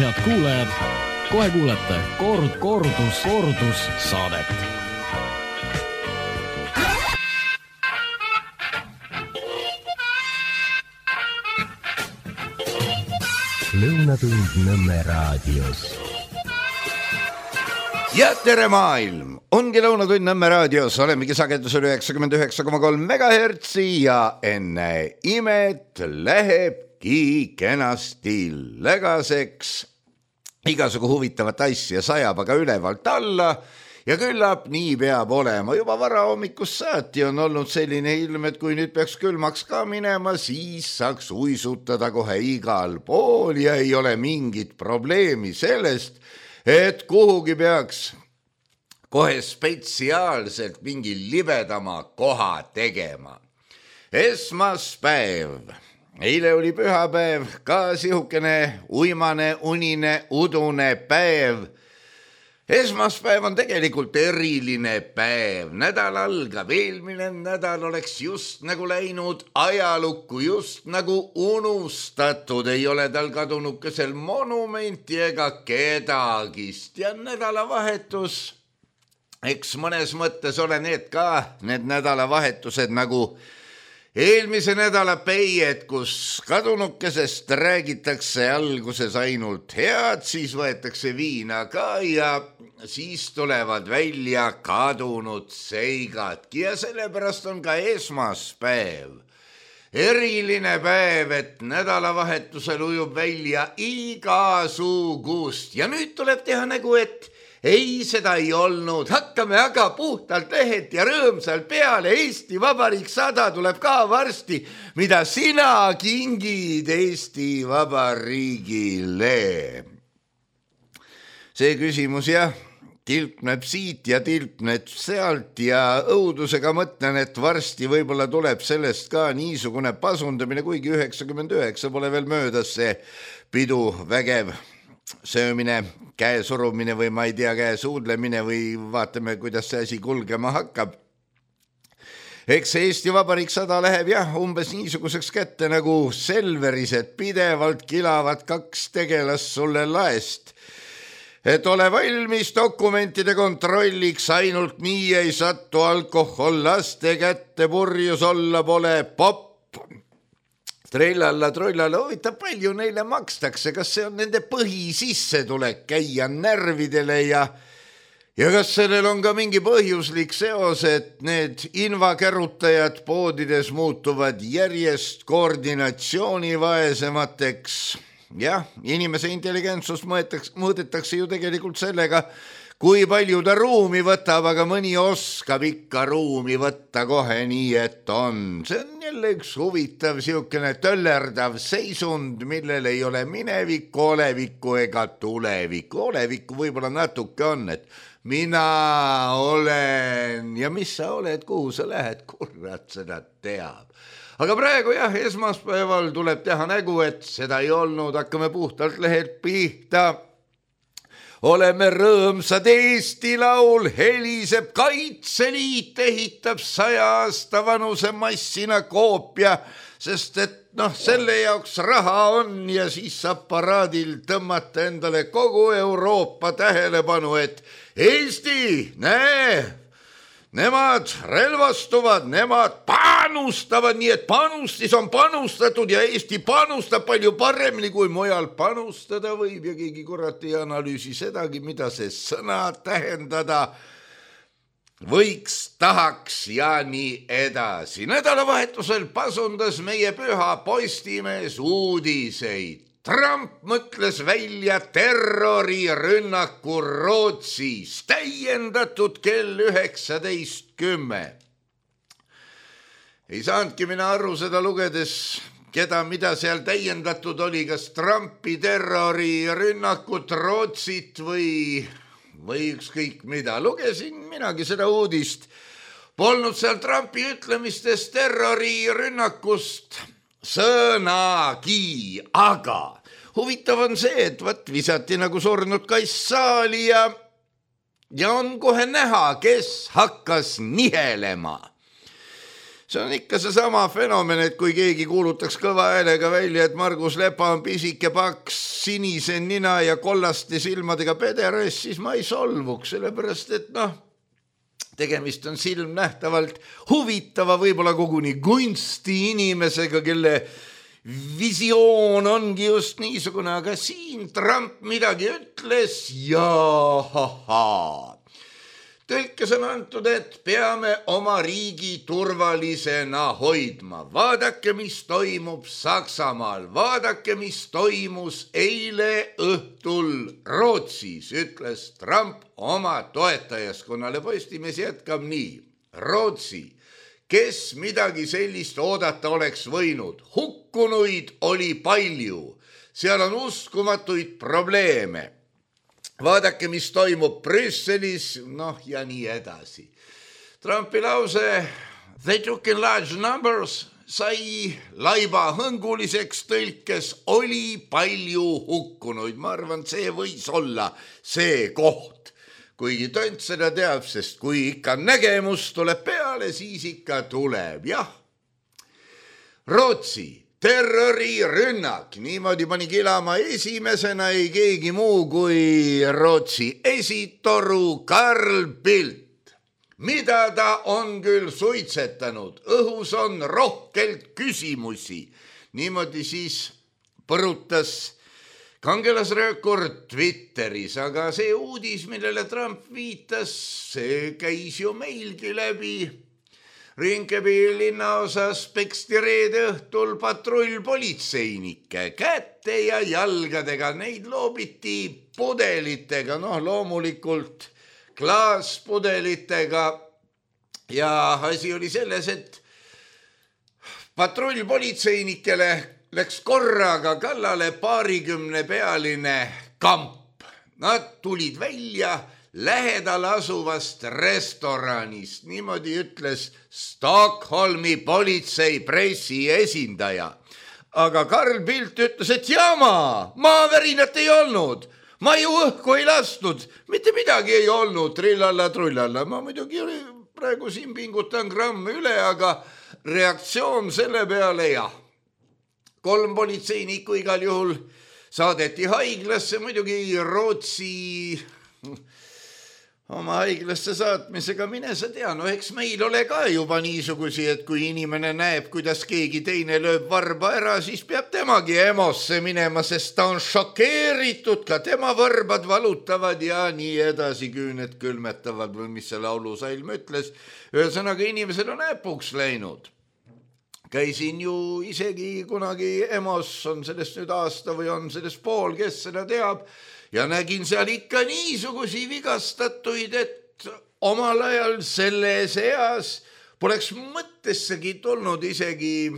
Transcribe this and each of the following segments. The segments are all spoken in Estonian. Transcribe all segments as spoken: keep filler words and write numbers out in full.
head kuulajad, kohe kuulete kord, kordus, kordus saadet. Lõunatund Nõmme raadios. Ja tere maailm! Ongi Lõunatund Nõmme raadios, olemegi sagedusel üheksakümmend üheksa koma kolm megahertsi ja enne imet lähebki kenasti lägaseks. Igasugu huvitavat asja sajab aga ülevalt alla ja küllap nii peab olema. Juba vara hommikust saati on olnud selline ilm, et kui nüüd peaks külmaks ka minema, siis saaks uisutada kohe igal pool ja ei ole mingit probleemi sellest, et kuhugi peaks kohe spetsiaalselt mingi libedama koha tegema. Esmaspäev. Eile oli pühapäev, ka sihukene uimane, unine, udune päev. Esmaspäev on tegelikult eriline päev. Nädal algab, eelmine nädal oleks just nagu läinud ajalukku, just nagu unustatud. Ei ole tal kadunud kesel monumenti ega kedagist. Ja nädalavahetus, eks mõnes mõttes ole need ka, need nädalavahetused nagu eelmise nädala peied, kus kadunukesest räägitakse alguses ainult head, siis võetakse viina ka ja siis tulevad välja kadunud seigadki ja sellepärast on ka esmaspäev. Eriline päev, et nädalavahetusel ujub välja igasugust ja nüüd tuleb teha nägu, et ei, seda ei olnud. Hakkame aga puhtalt lehelt ja rõõmsalt peale. Eesti Vabariik sada tuleb ka varsti, mida sina kingid Eesti Vabariigile. See küsimus jah, tilpneb siit ja tilpneb sealt ja õudusega mõtlen, et varsti võib-olla tuleb sellest ka niisugune pasundamine, kuigi üheksakümmend üheksa pole veel möödas see pidu vägev söömine, käe surumine või ma ei tea, käe suudlemine või vaatame, kuidas see asi kulgema hakkab. Eks Eesti Vabariik sada läheb jah, umbes niisuguseks kätte nagu Selveris, et pidevalt kilavad kaks tegelast sulle laest. Et ole valmis dokumentide kontrolliks, ainult nii ei sattu alkohol laste kätte, purjus olla pole popp. Trellalla, trollalla, huvitav palju neile makstakse, kas see on nende põhisissetulek käia närvidele ja, ja kas sellel on ka mingi põhjuslik seos, et need invakärutajad poodides muutuvad järjest koordinatsioonivaesemateks. Jah, inimese intelligentsust mõõdetakse ju tegelikult sellega, kui palju ta ruumi võtab, aga mõni oskab ikka ruumi võtta kohe nii, et on. See on jälle üks huvitav, siukene töllerdav seisund, millel ei ole minevikku, olevikku ega tulevikku. Olevikku võib-olla natuke on, et mina olen ja mis sa oled, kuhu sa lähed, kurat seda teab. Aga praegu jah, esmaspäeval tuleb teha nägu, et seda ei olnud, hakkame puhtalt lehelt pihta. Oleme rõõmsad, Eesti laul heliseb, Kaitseliit ehitab saja aasta vanuse massina koopia, sest et noh, selle jaoks raha on ja siis saab paraadil tõmmata endale kogu Euroopa tähelepanu, et Eesti, näe, nemad relvastuvad, nemad panustavad, nii et panustis on panustatud ja Eesti panustab palju paremini kui mujal panustada võib ja keegi kurat ei analüüsi sedagi, mida see sõna tähendada võiks, tahaks ja nii edasi. Nädalavahetusel pasundas meie püha Postimees uudiseid. Trump mõtles välja terrorirünnaku Rootsis, täiendatud kell üheksateist kümme. Ei saanudki mina aru seda lugedes, keda mida seal täiendatud oli, kas Trumpi terrorirünnakut Rootsit või, või ükskõik mida. Lugesin minagi seda uudist. Polnud seal Trumpi ütlemistest terrorirünnakust sõnagi, aga huvitav on see, et võt visati nagu surnud kass saali ja, ja on kohe näha, kes hakkas nihelema. see on ikka seesama fenomen, et kui keegi kuulutaks kõva häälega välja, et Margus Lepa on pisike, paks, sinise nina ja kollaste silmadega pederas, siis ma ei solvuks, sellepärast et noh, tegemist on silmnähtavalt huvitava, võib-olla koguni kunsti inimesega, kelle visioon ongi just niisugune, aga siin Trump midagi ütles ja ha-ha. Tõlkes on antud, et peame oma riigi turvalisena hoidma. Vaadake, mis toimub Saksamaal. Vaadake, mis toimus eile õhtul Rootsis, ütles Trump oma toetajaskonnale. Postimees jätkab nii. Rootsi, kes midagi sellist oodata oleks võinud. Hukkunuid oli palju. Seal on uskumatuid probleeme. Vaadake, mis toimub Brüsselis, noh ja nii edasi. Trumpi lause "They took in large numbers" sai laiba hõnguliseks, tõlkes oli palju hukkunuid. Ma arvan, see võis olla see koht. Kuigi tont seda teab, sest kui ikka nägemus tuleb peale, siis ikka tuleb, jah. Rootsi. Terrorirünnak, niimoodi pani kilama esimesena ei keegi muu kui Rootsi esitoru Carl Bildt. Mida ta on küll suitsetanud, õhus on rohkelt küsimusi. Niimoodi siis põrutas kangelasröökur Twitteris, aga see uudis, millele Trump viitas, see käis ju meilgi läbi. Rinkeby linnaosas peksti reede õhtul patrull politseinike käte ja jalgadega. Neid loobiti pudelitega, noh loomulikult klaaspudelitega. Ja asi oli selles, et patrull politseinikele läks korraga kallale paarikümne pealine kamp. Nad tulid välja lähedal asuvast restoranist, niimoodi ütles Stockholmi politsei pressi esindaja. Aga Carl Bildt ütles, et jama, maavärinat ei olnud, ma ju õhku ei lastud, mitte midagi ei olnud, trillalla, trullalla. Ma muidugi praegu siin pingutan gramm üle, aga reaktsioon selle peale jah. Kolm politseinikku igal juhul saadeti haiglasse, muidugi Rootsi oma haiglasse saatmisega, mine sa tea, no eks meil ole ka juba niisugusi, et kui inimene näeb, kuidas keegi teine lööb varba ära, siis peab temagi emosse minema, sest ta on šokeeritud, ka tema varbad valutavad ja nii edasi, küüned külmetavad või mis see laulusalm ütles. Ühesõnaga inimesed on äpuks läinud. Käisin ju isegi kunagi emos, on sellest nüüd aasta või on sellest pool, kes seda teab, ja nägin seal ikka niisugusi vigastatuid, et omal ajal selles eas poleks mõttessegi tulnud isegi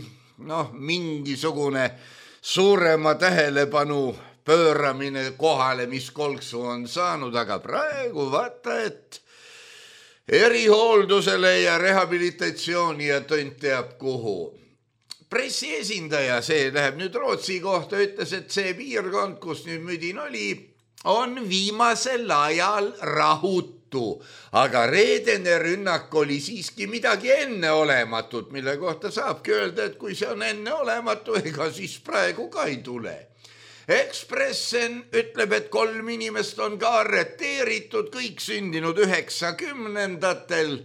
noh, mingisugune suurema tähelepanu pööramine kohale, mis kolksu on saanud, aga praegu vaata, et erihooldusele ja rehabilitatsiooni ja tont teab kuhu. Pressi esindaja, see läheb nüüd Rootsi kohta, ütles, et see piirkond, kus nüüd müdin oli, on viimasel ajal rahutu, aga reedene rünnak oli siiski midagi enneolematut, mille kohta saabki öelda, et kui see on enneolematu, ega siis praegu ka ei tule. Ekspressen ütleb, et kolm inimest on ka arreteeritud, kõik sündinud üheksakümnendatel,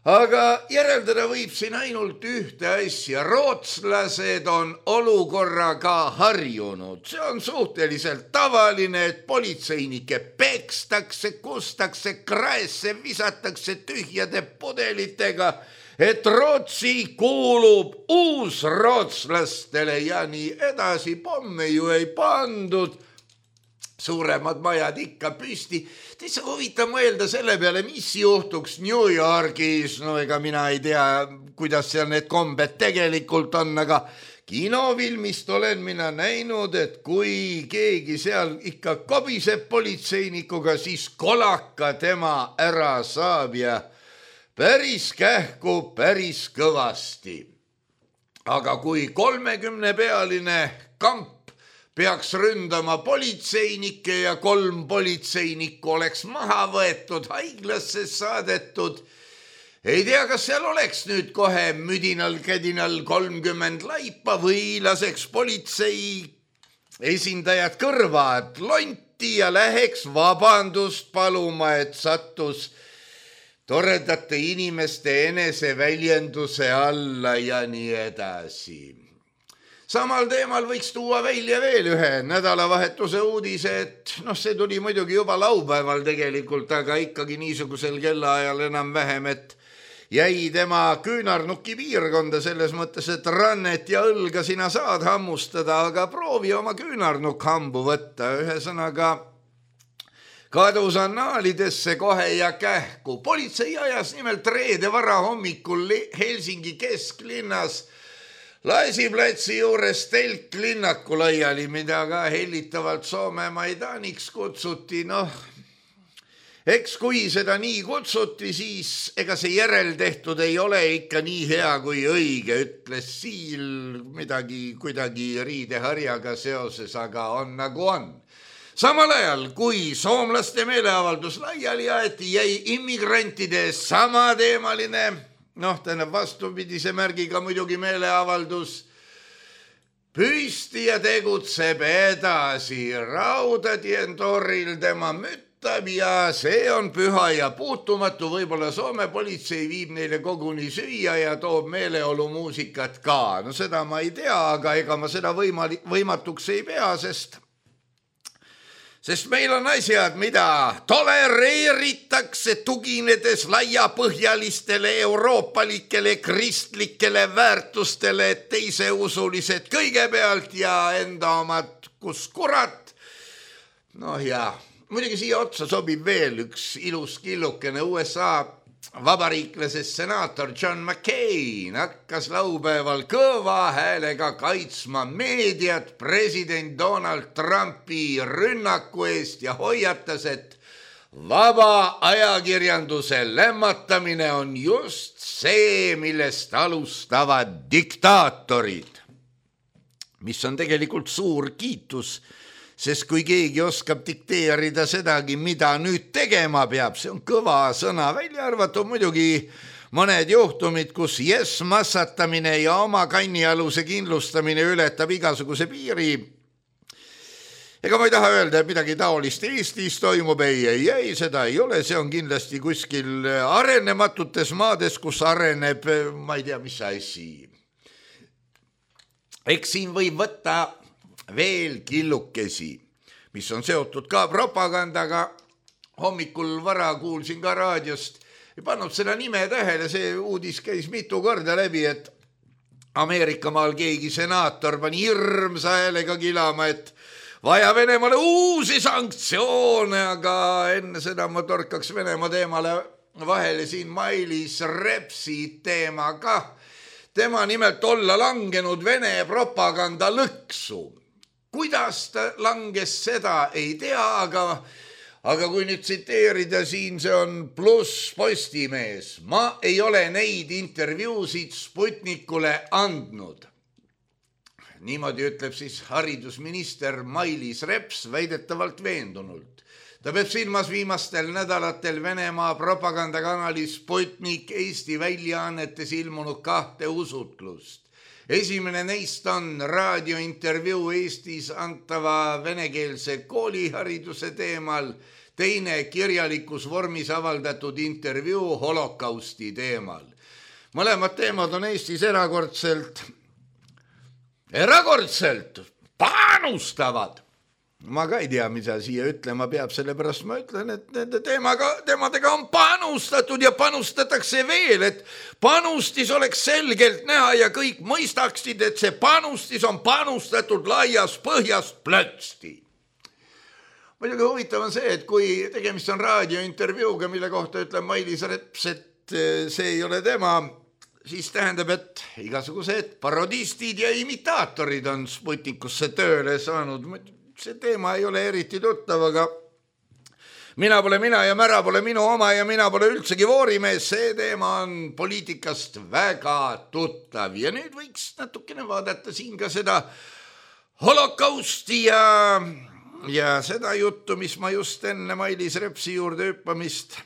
aga järeldada võib siin ainult ühte asja. Rootslased on olukorraga harjunud. See on suhteliselt tavaline, et politseinike pekstakse, kustakse, kraesse visatakse tühjade pudelitega, et Rootsi kuulub uusrootslastele ja nii edasi. Pomme ju ei pandud, suuremad majad ikka püsti. Täitsa huvitav mõelda selle peale, mis juhtuks New Yorgis. No ega mina ei tea, kuidas seal need kombed tegelikult on, aga kinofilmist olen mina näinud, et kui keegi seal ikka kobiseb politseinikuga, siis kolaka tema ära saab ja päris kähku, päris kõvasti. Aga kui kolmekümne pealine kamp peaks ründama politseinikke ja kolm politseinikku oleks maha võetud, haiglasse saadetud, ei tea, kas seal oleks nüüd kohe müdinal kädinal kolmkümmend laipa või laseks politsei esindajad kõrvad lonti ja läheks vabandust paluma, et sattus toredate inimeste eneseväljenduse alla ja nii edasi. Samal teemal võiks tuua välja veel ühe nädalavahetuse uudise, et noh, see tuli muidugi juba laupäeval tegelikult, aga ikkagi niisugusel kellaajal enam vähem, et jäi tema küünarnuki piirkonda selles mõttes, et rannet ja õlga sina saad hammustada, aga proovi oma küünarnuk hambu võtta. Ühesõnaga kadus annaalidesse kohe ja kähku. Politsei ajas nimelt reede vara hommikul Helsingi kesklinnas Laisiplatsi juures telklinnaku laiali, mida ka hellitavalt Soome Maidaniks kutsuti. Noh, eks kui seda nii kutsuti, siis ega see järeltehtud ei ole ikka nii hea kui õige, ütles Siil midagi kuidagi riideharjaga seoses, aga on nagu on. Samal ajal, kui soomlaste meeleavaldus laiali aeti, jäi immigrantide samateemaline, noh, tähendab vastupidise märgiga muidugi meeleavaldus püsti ja tegutseb edasi. Raudatientoril tema müttab ja see on püha ja puutumatu. Võib-olla Soome politsei viib neile koguni süüa ja toob meeleolumuusikat ka. No seda ma ei tea, aga ega ma seda võimali- võimatuks ei pea, sest Sest meil on asjad, mida tolereeritakse tuginedes laiapõhjalistele euroopalikele kristlikele väärtustele, teise usulised kõigepealt ja enda omad kus kurat. Noh ja muidugi siia otsa sobib veel üks ilus killukene. U S A vabariiklasest senaator John McCain hakkas laupäeval kõva häälega kaitsma meediat president Donald Trumpi rünnaku eest ja hoiatas, et vaba ajakirjanduse lämmatamine on just see, millest alustavad diktaatorid. Mis on tegelikult suur kiitus, sest kui keegi oskab dikteerida sedagi, mida nüüd tegema peab, see on kõva sõna. Välja arvatud muidugi mõned juhtumid, kus yes massatamine ja oma kannialuse kindlustamine ületab igasuguse piiri. Ega ma ei taha öelda, et midagi taolist Eestis toimub, ei, ei, ei, seda ei ole. See on kindlasti kuskil arenematutes maades, kus areneb, ma ei tea, mis asi. Eks siin võib võtta veel killukesi, mis on seotud ka propagandaga. Hommikul vara kuulsin ka raadiost, ei pannud seda nime tähele, see uudis käis mitu korda läbi, et Ameerikamaal keegi senaator pani hirmsa häälega kilama, et vaja Venemaale uusi sanktsioone, aga enne seda ma torkaks Venemaa teemale vahele siin Mailis Repsi teema ka. Tema nimelt olla langenud Vene propaganda lõksu. Kuidas ta langes, seda ei tea, aga, aga kui nüüd tsiteerida siin, see on pluss Postimees. Ma ei ole neid intervjuusid Sputnikule andnud. Niimoodi ütleb siis haridusminister Mailis Reps väidetavalt veendunult. Ta peab silmas viimastel nädalatel Venemaa propagandakanali Sputnik Eesti väljaannetes ilmunud kahte usutlust. Esimene neist on raadiointervjuu Eestis antava venekeelse koolihariduse teemal, teine kirjalikus vormis avaldatud intervjuu holokausti teemal. Mõlemad teemad on Eestis erakordselt, erakordselt panustavad. Ma ka ei tea, mida siia ütlema peab, sellepärast ma ütlen, et nende teemaga, teemadega on panustatud ja panustatakse veel, et panustis oleks selgelt näha ja kõik mõistaksid, et see panustis on panustatud laias põhjast plötsti. Muidugi huvitav on see, et kui tegemist on raadiointervjuuga, mille kohta ütleb Mailis Reps, et see ei ole tema, siis tähendab, et igasugused parodistid ja imitaatorid on Sputnikusse tööle saanud. See teema ei ole eriti tuttav, aga mina pole mina ja mära pole minu oma ja mina pole üldsegi voorimees. See teema on poliitikast väga tuttav ja nüüd võiks natukene vaadata siin ka seda holokausti ja, ja seda juttu, mis ma just enne Mailis Repsi juurde hüppamist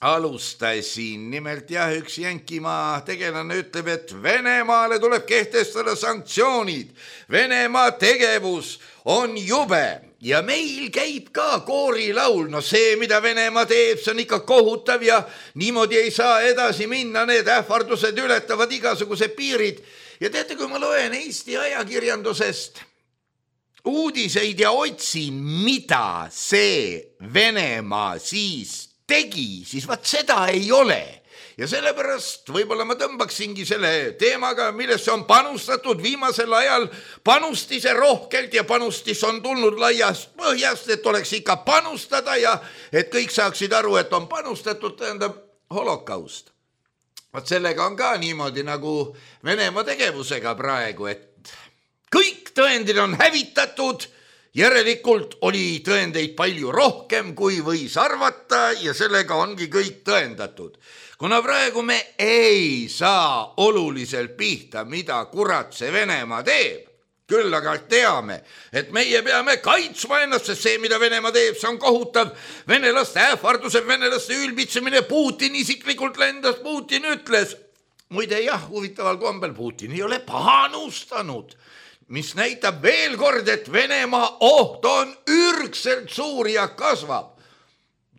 alustasin. Nimelt jah, üks Jänkimaa tegelane ütleb, et Venemaale tuleb kehtestada sanktsioonid. Venemaa tegevus on jube ja meil käib ka koorilaul. No see, mida Venemaa teeb, see on ikka kohutav ja niimoodi ei saa edasi minna. Need ähvardused ületavad igasuguse piirid. Ja teate, kui ma loen Eesti ajakirjandusest uudiseid ja otsin, mida see Venemaa siis tegi, siis vaat seda ei ole. Ja sellepärast võib-olla ma tõmbaksingi selle teemaga, millesse on panustatud viimasel ajal panustise rohkelt ja panustis on tulnud laiast põhjast, et oleks ikka panustada ja et kõik saaksid aru, et on panustatud, tähendab holokaust. Vaat sellega on ka niimoodi nagu Venemaa tegevusega praegu, et kõik tõendid on hävitatud, järelikult oli tõendeid palju rohkem, kui võis arvata ja sellega ongi kõik tõendatud. Kuna praegu me ei saa oluliselt pihta, mida kurat see Venemaa teeb, küll aga teame, et meie peame kaitsma ennast, sest see, mida Venemaa teeb, see on kohutav. Venelaste ähvardused, venelaste ülbitsemine, Putin isiklikult lendas, Putin ütles. Muide jah, huvitaval kombel Putin ei ole panustanud, mis näitab veel kord, et Venemaa oht on ürgselt suur ja kasvab.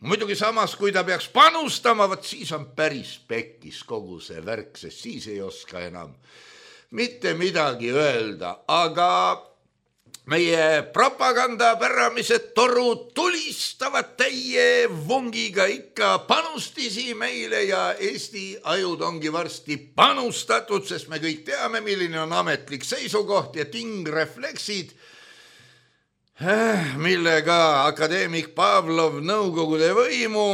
Muidugi samas, kui ta peaks panustama, võt siis on päris pekkis kogu see värk, sest siis ei oska enam mitte midagi öelda, aga meie propagandapäramised torud tulistavad täie vungiga ikka panustisi meile ja Eesti ajud ongi varsti panustatud, sest me kõik teame, milline on ametlik seisukoht ja tingrefleksid, millega akadeemik Pavlov nõukogude võimu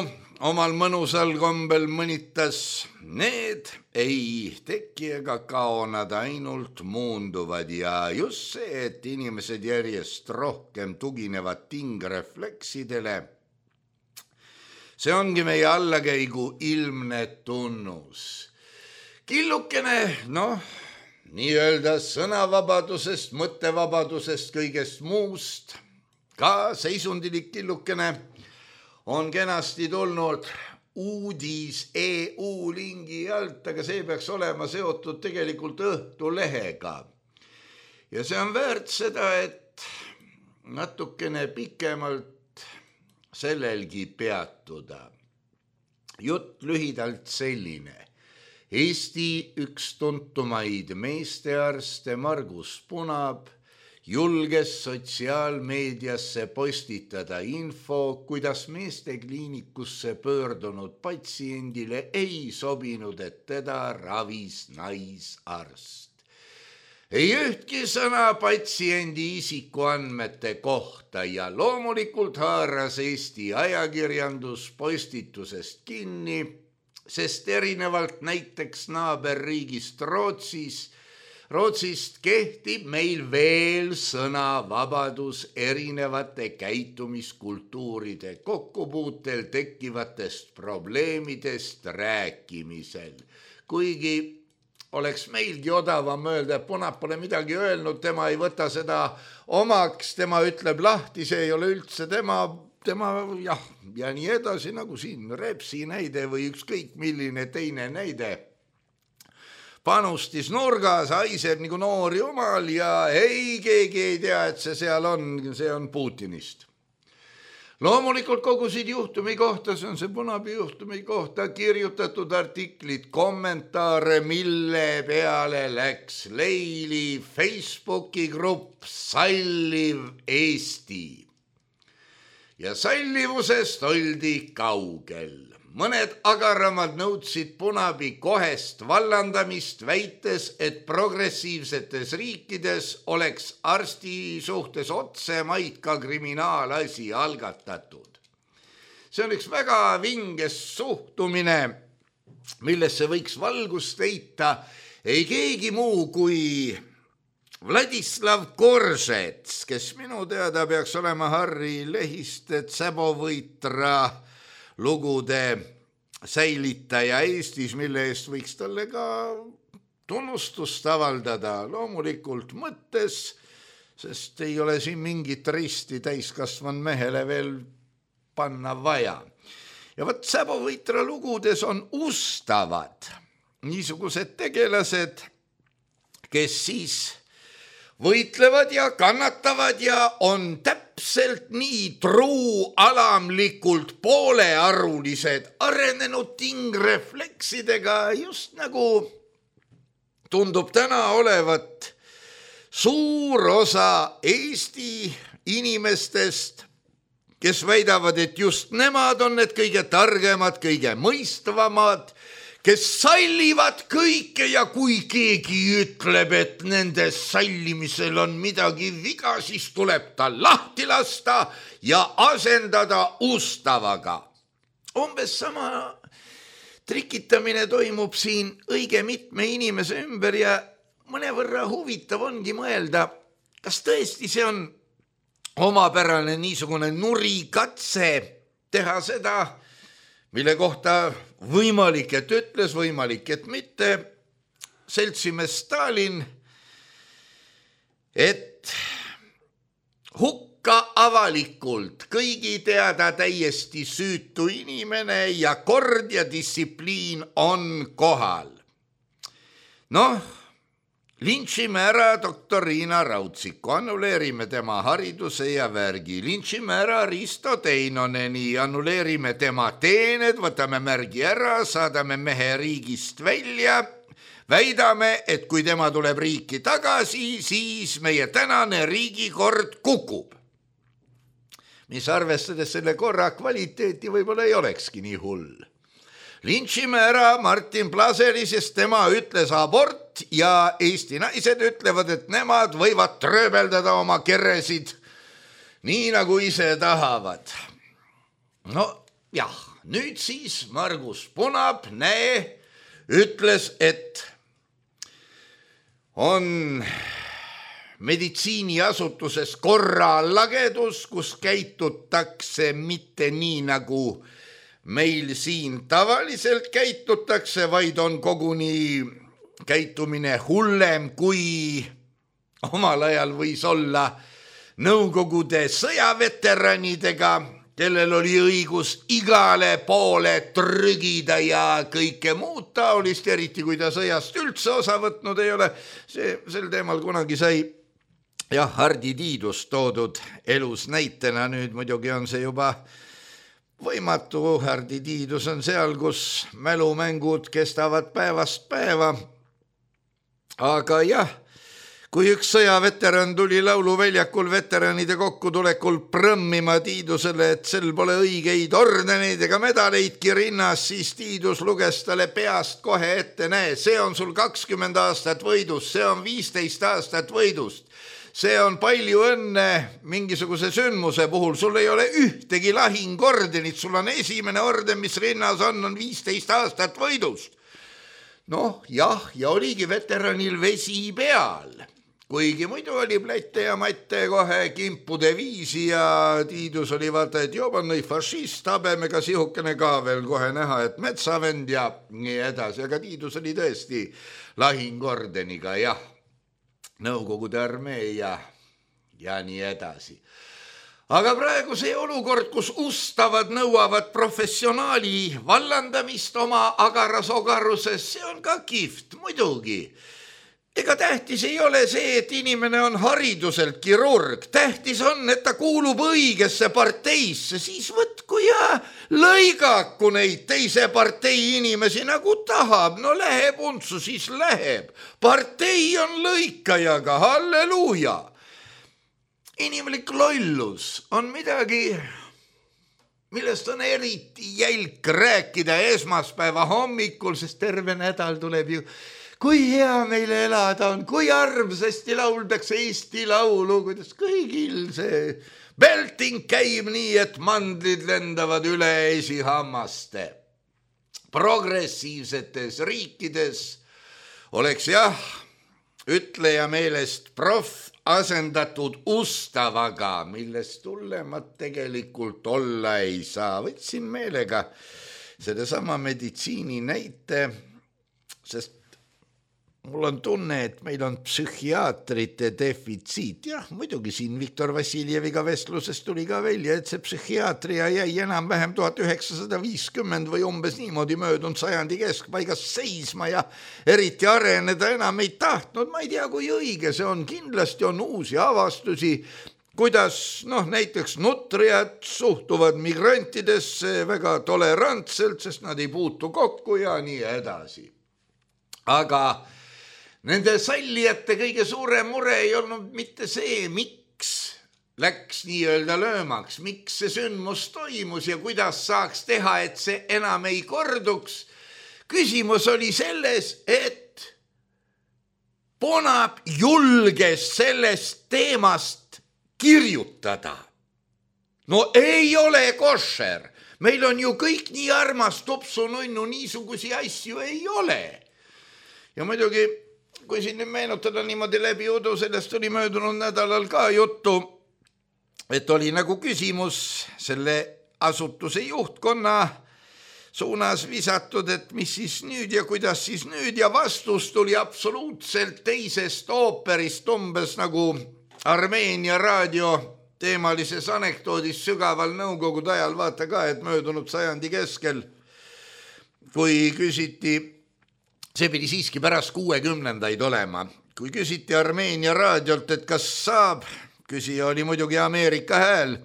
omal mõnusal kombel mõnitas. Need ei teki ega kao, nad ainult muunduvad ja just see, et inimesed järjest rohkem tuginevad tingrefleksidele, see ongi meie allakäigu ilmne tunnus. Killukene, noh, nii-öelda sõnavabadusest, mõttevabadusest, kõigest muust, ka seisundilik killukene on kenasti tulnud uudis E U lingi alt, aga see peaks olema seotud tegelikult Õhtulehega. Ja see on väärt seda, et natukene pikemalt sellelgi peatuda. Jutt lühidalt selline. Eesti üks tuntumaid meestearste Margus Punab julges sotsiaalmeediasse postitada info, kuidas meestekliinikusse pöördunud patsiendile ei sobinud, et teda ravis naisarst. Ei ühtki sõna patsiendi isikuandmete kohta ja loomulikult haaras Eesti ajakirjandus postitusest kinni, sest erinevalt näiteks naaberriigist Rootsis, Rootsist kehtib meil veel sõnavabadus erinevate käitumiskultuuride kokkupuutel tekkivatest probleemidest rääkimisel. Kuigi oleks meilgi odavam öelda, et Punab pole midagi öelnud, tema ei võta seda omaks, tema ütleb lahti, see ei ole üldse tema, tema jah, ja nii edasi, nagu siin Repsi näide või ükskõik milline teine näide. Panustis nurgas, haiseb nagu noor jumal ja ei, keegi ei tea, et see seal on, see on Putinist. Loomulikult kogusid juhtumi kohta, see on see Punabi juhtumi kohta kirjutatud artiklid, kommentaare, mille peale läks Leili Facebooki grupp Salliv Eesti. Ja sallivusest oldi kaugel. Mõned agaramad nõudsid Punabi kohest vallandamist, väites, et progressiivsetes riikides oleks arsti suhtes otsemaid ka kriminaalasi algatatud. See on üks väga vinges suhtumine, millesse võiks valgust heita ei keegi muu kui Vladislav Koržets, kes minu teada peaks olema Harri Lehiste Tsebovõitra lugude säilitaja Eestis, mille eest võiks talle ka tunnustust avaldada loomulikult mõttes, sest ei ole siin mingit risti täiskasvan mehele veel panna vaja. ja võt Säbovõitra lugudes on ustavad niisugused tegelased, kes siis võitlevad ja kannatavad ja on täpselt nii truu alamlikult poolearulised arenenud tingrefleksidega, just nagu tundub täna olevat suur osa Eesti inimestest, kes väidavad, et just nemad on need kõige targemad, kõige mõistvamad, kes sallivad kõike ja kui keegi ütleb, et nende sallimisel on midagi viga, siis tuleb ta lahti lasta ja asendada ustavaga. Umbes sama trikitamine toimub siin õige mitme inimese ümber ja mõnevõrra huvitav ongi mõelda, kas tõesti see on omapärane niisugune nurikatse teha seda, mille kohta võimalik, et ütles, võimalik, et mitte, seltsimees Stalin, et hukka avalikult kõigi teada täiesti süütu inimene ja kord ja distsipliin on kohal. Noh, lintšime ära doktor Riina Rautsiku, annuleerime tema hariduse ja värgi, lintšime ära Risto Teinoneni, annuleerime tema teened, võtame märgi ära, saadame mehe riigist välja, väidame, et kui tema tuleb riiki tagasi, siis meie tänane riigikord kukub. Mis arvestades selle korra kvaliteeti võib-olla ei olekski nii hull. Lintšime ära Martin Plaseri, sest tema ütles abort ja Eesti naised ütlevad, et nemad võivad trööbeldada oma keresid nii nagu ise tahavad. No jah, nüüd siis Margus Punab, näe, ütles, et on meditsiiniasutuses korralagedus, kus käitutakse mitte nii nagu meil siin tavaliselt käitutakse, vaid on koguni käitumine hullem, kui omal ajal võis olla Nõukogude sõjaveteranidega, kellel oli õigus igale poole trügida ja kõike muud taolist, eriti kui ta sõjast üldse osa võtnud ei ole. See, sel teemal kunagi sai jah, Hardi Tiidus toodud elus näitena, nüüd muidugi on see juba võimatu. Hardi Tiidus on seal, kus mälumängud kestavad päevast päeva. Aga jah, kui üks sõjaveteran tuli lauluväljakul veteranide kokkutulekul prõmmima Tiidusele, et sel pole õigeid ordeneid ega medaleidki rinnas, siis Tiidus luges talle peast kohe ette, näe, see on sul kakskümmend aastat võidust, see on viisteist aastat võidust. See on palju õnne mingisuguse sündmuse puhul, sul ei ole ühtegi lahingordenit, sul on esimene orden, mis rinnas on, on viisteist aastat võidust. Noh, jah, ja oligi veteranil vesi peal, kuigi muidu oli plätte ja matte kohe kimpude viisi ja Tiidus oli vaata, et jobannõi fašist, habemega sihukene ka veel kohe näha, et metsavend ja nii edasi, aga Tiidus oli tõesti lahingordeniga, jah. Nõukogude armee ja, ja nii edasi. Aga praegu see olukord, kus ustavad nõuavad professionaali vallandamist oma agaras ogaruses, see on ka kihvt, muidugi. Ega tähtis ei ole see, et inimene on hariduselt kirurg. Tähtis on, et ta kuulub õigesse parteisse, siis võtku ja lõigaku neid teise partei inimesi nagu tahab. No läheb untsu, siis läheb. Partei on lõikajaga, halleluuja. Inimlik lollus on midagi, millest on eriti jälk rääkida esmaspäeva hommikul, sest terve nädal tuleb ju kui hea meile elada on, kui armsasti lauldakse Eesti laulu, kuidas kõigil see belting käib nii, et mandlid lendavad üle esihammaste. Progressiivsetes riikides oleks jah, ütleja meelest proff asendatud ustavaga, millest tullemat tegelikult olla ei saa. Võtsin meelega sedasama meditsiini näite, sest mul on tunne, et meil on psühhiaatrite defitsiit. Jah, muidugi siin Viktor Vassiljeviga vestluses tuli ka välja, et see psühhiaatria jäi enam-vähem tuhat üheksasada viiskümmend või umbes niimoodi möödunud sajandi keskpaigas seisma ja eriti areneda enam ei tahtnud. Ma ei tea, kui õige see on. Kindlasti on uusi avastusi, kuidas noh, näiteks nutrijad suhtuvad migrantidesse väga tolerantselt, sest nad ei puutu kokku ja nii edasi. Aga nende sallijate kõige suurem mure ei olnud mitte see, miks läks nii-öelda löömaks, miks see sündmus toimus ja kuidas saaks teha, et see enam ei korduks. Küsimus oli selles, et Ponab julges sellest teemast kirjutada. No ei ole košer. Meil on ju kõik nii armas tupsununnu, niisugusi asju ei ole. Ja muidugi, kui siin nüüd meenutada niimoodi läbi udu, sellest oli möödunud nädalal ka juttu, et oli nagu küsimus selle asutuse juhtkonna suunas visatud, et mis siis nüüd ja kuidas siis nüüd ja vastus tuli absoluutselt teisest ooperist, umbes nagu Armeenia raadio teemalises anekdoodis sügaval nõukogude ajal, vaata ka, et möödunud sajandi keskel, kui küsiti, see pidi siiski pärast kuuekümnendaid olema. Kui küsiti Armeenia raadiolt, et kas saab, küsija oli muidugi Ameerika hääl,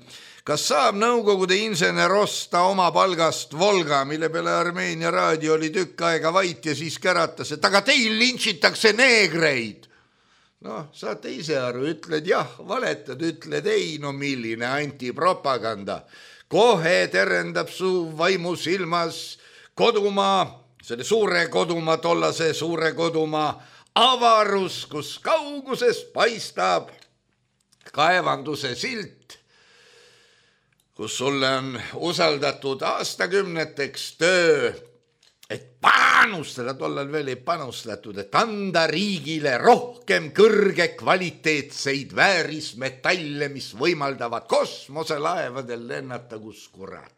kas saab nõukogude insener osta oma palgast Volga, mille peale Armeenia raadio oli tükk aega vait ja siis käratas, et aga teil lintšitakse neegreid. Noh, saate ise aru, ütled jah, valetad, ütled ei, no milline antipropaganda. Kohe terendab su vaimu silmas kodumaa, selle suure kodumaa, tollase suure kodumaa avarus, kus kauguses paistab kaevanduse silt, kus sulle on usaldatud aastakümneteks töö, et panustada, tollal veel ei panustatud, et anda riigile rohkem kõrge kvaliteetseid väärismetalle, mis võimaldavad kosmoselaevadel lennata kus kurat.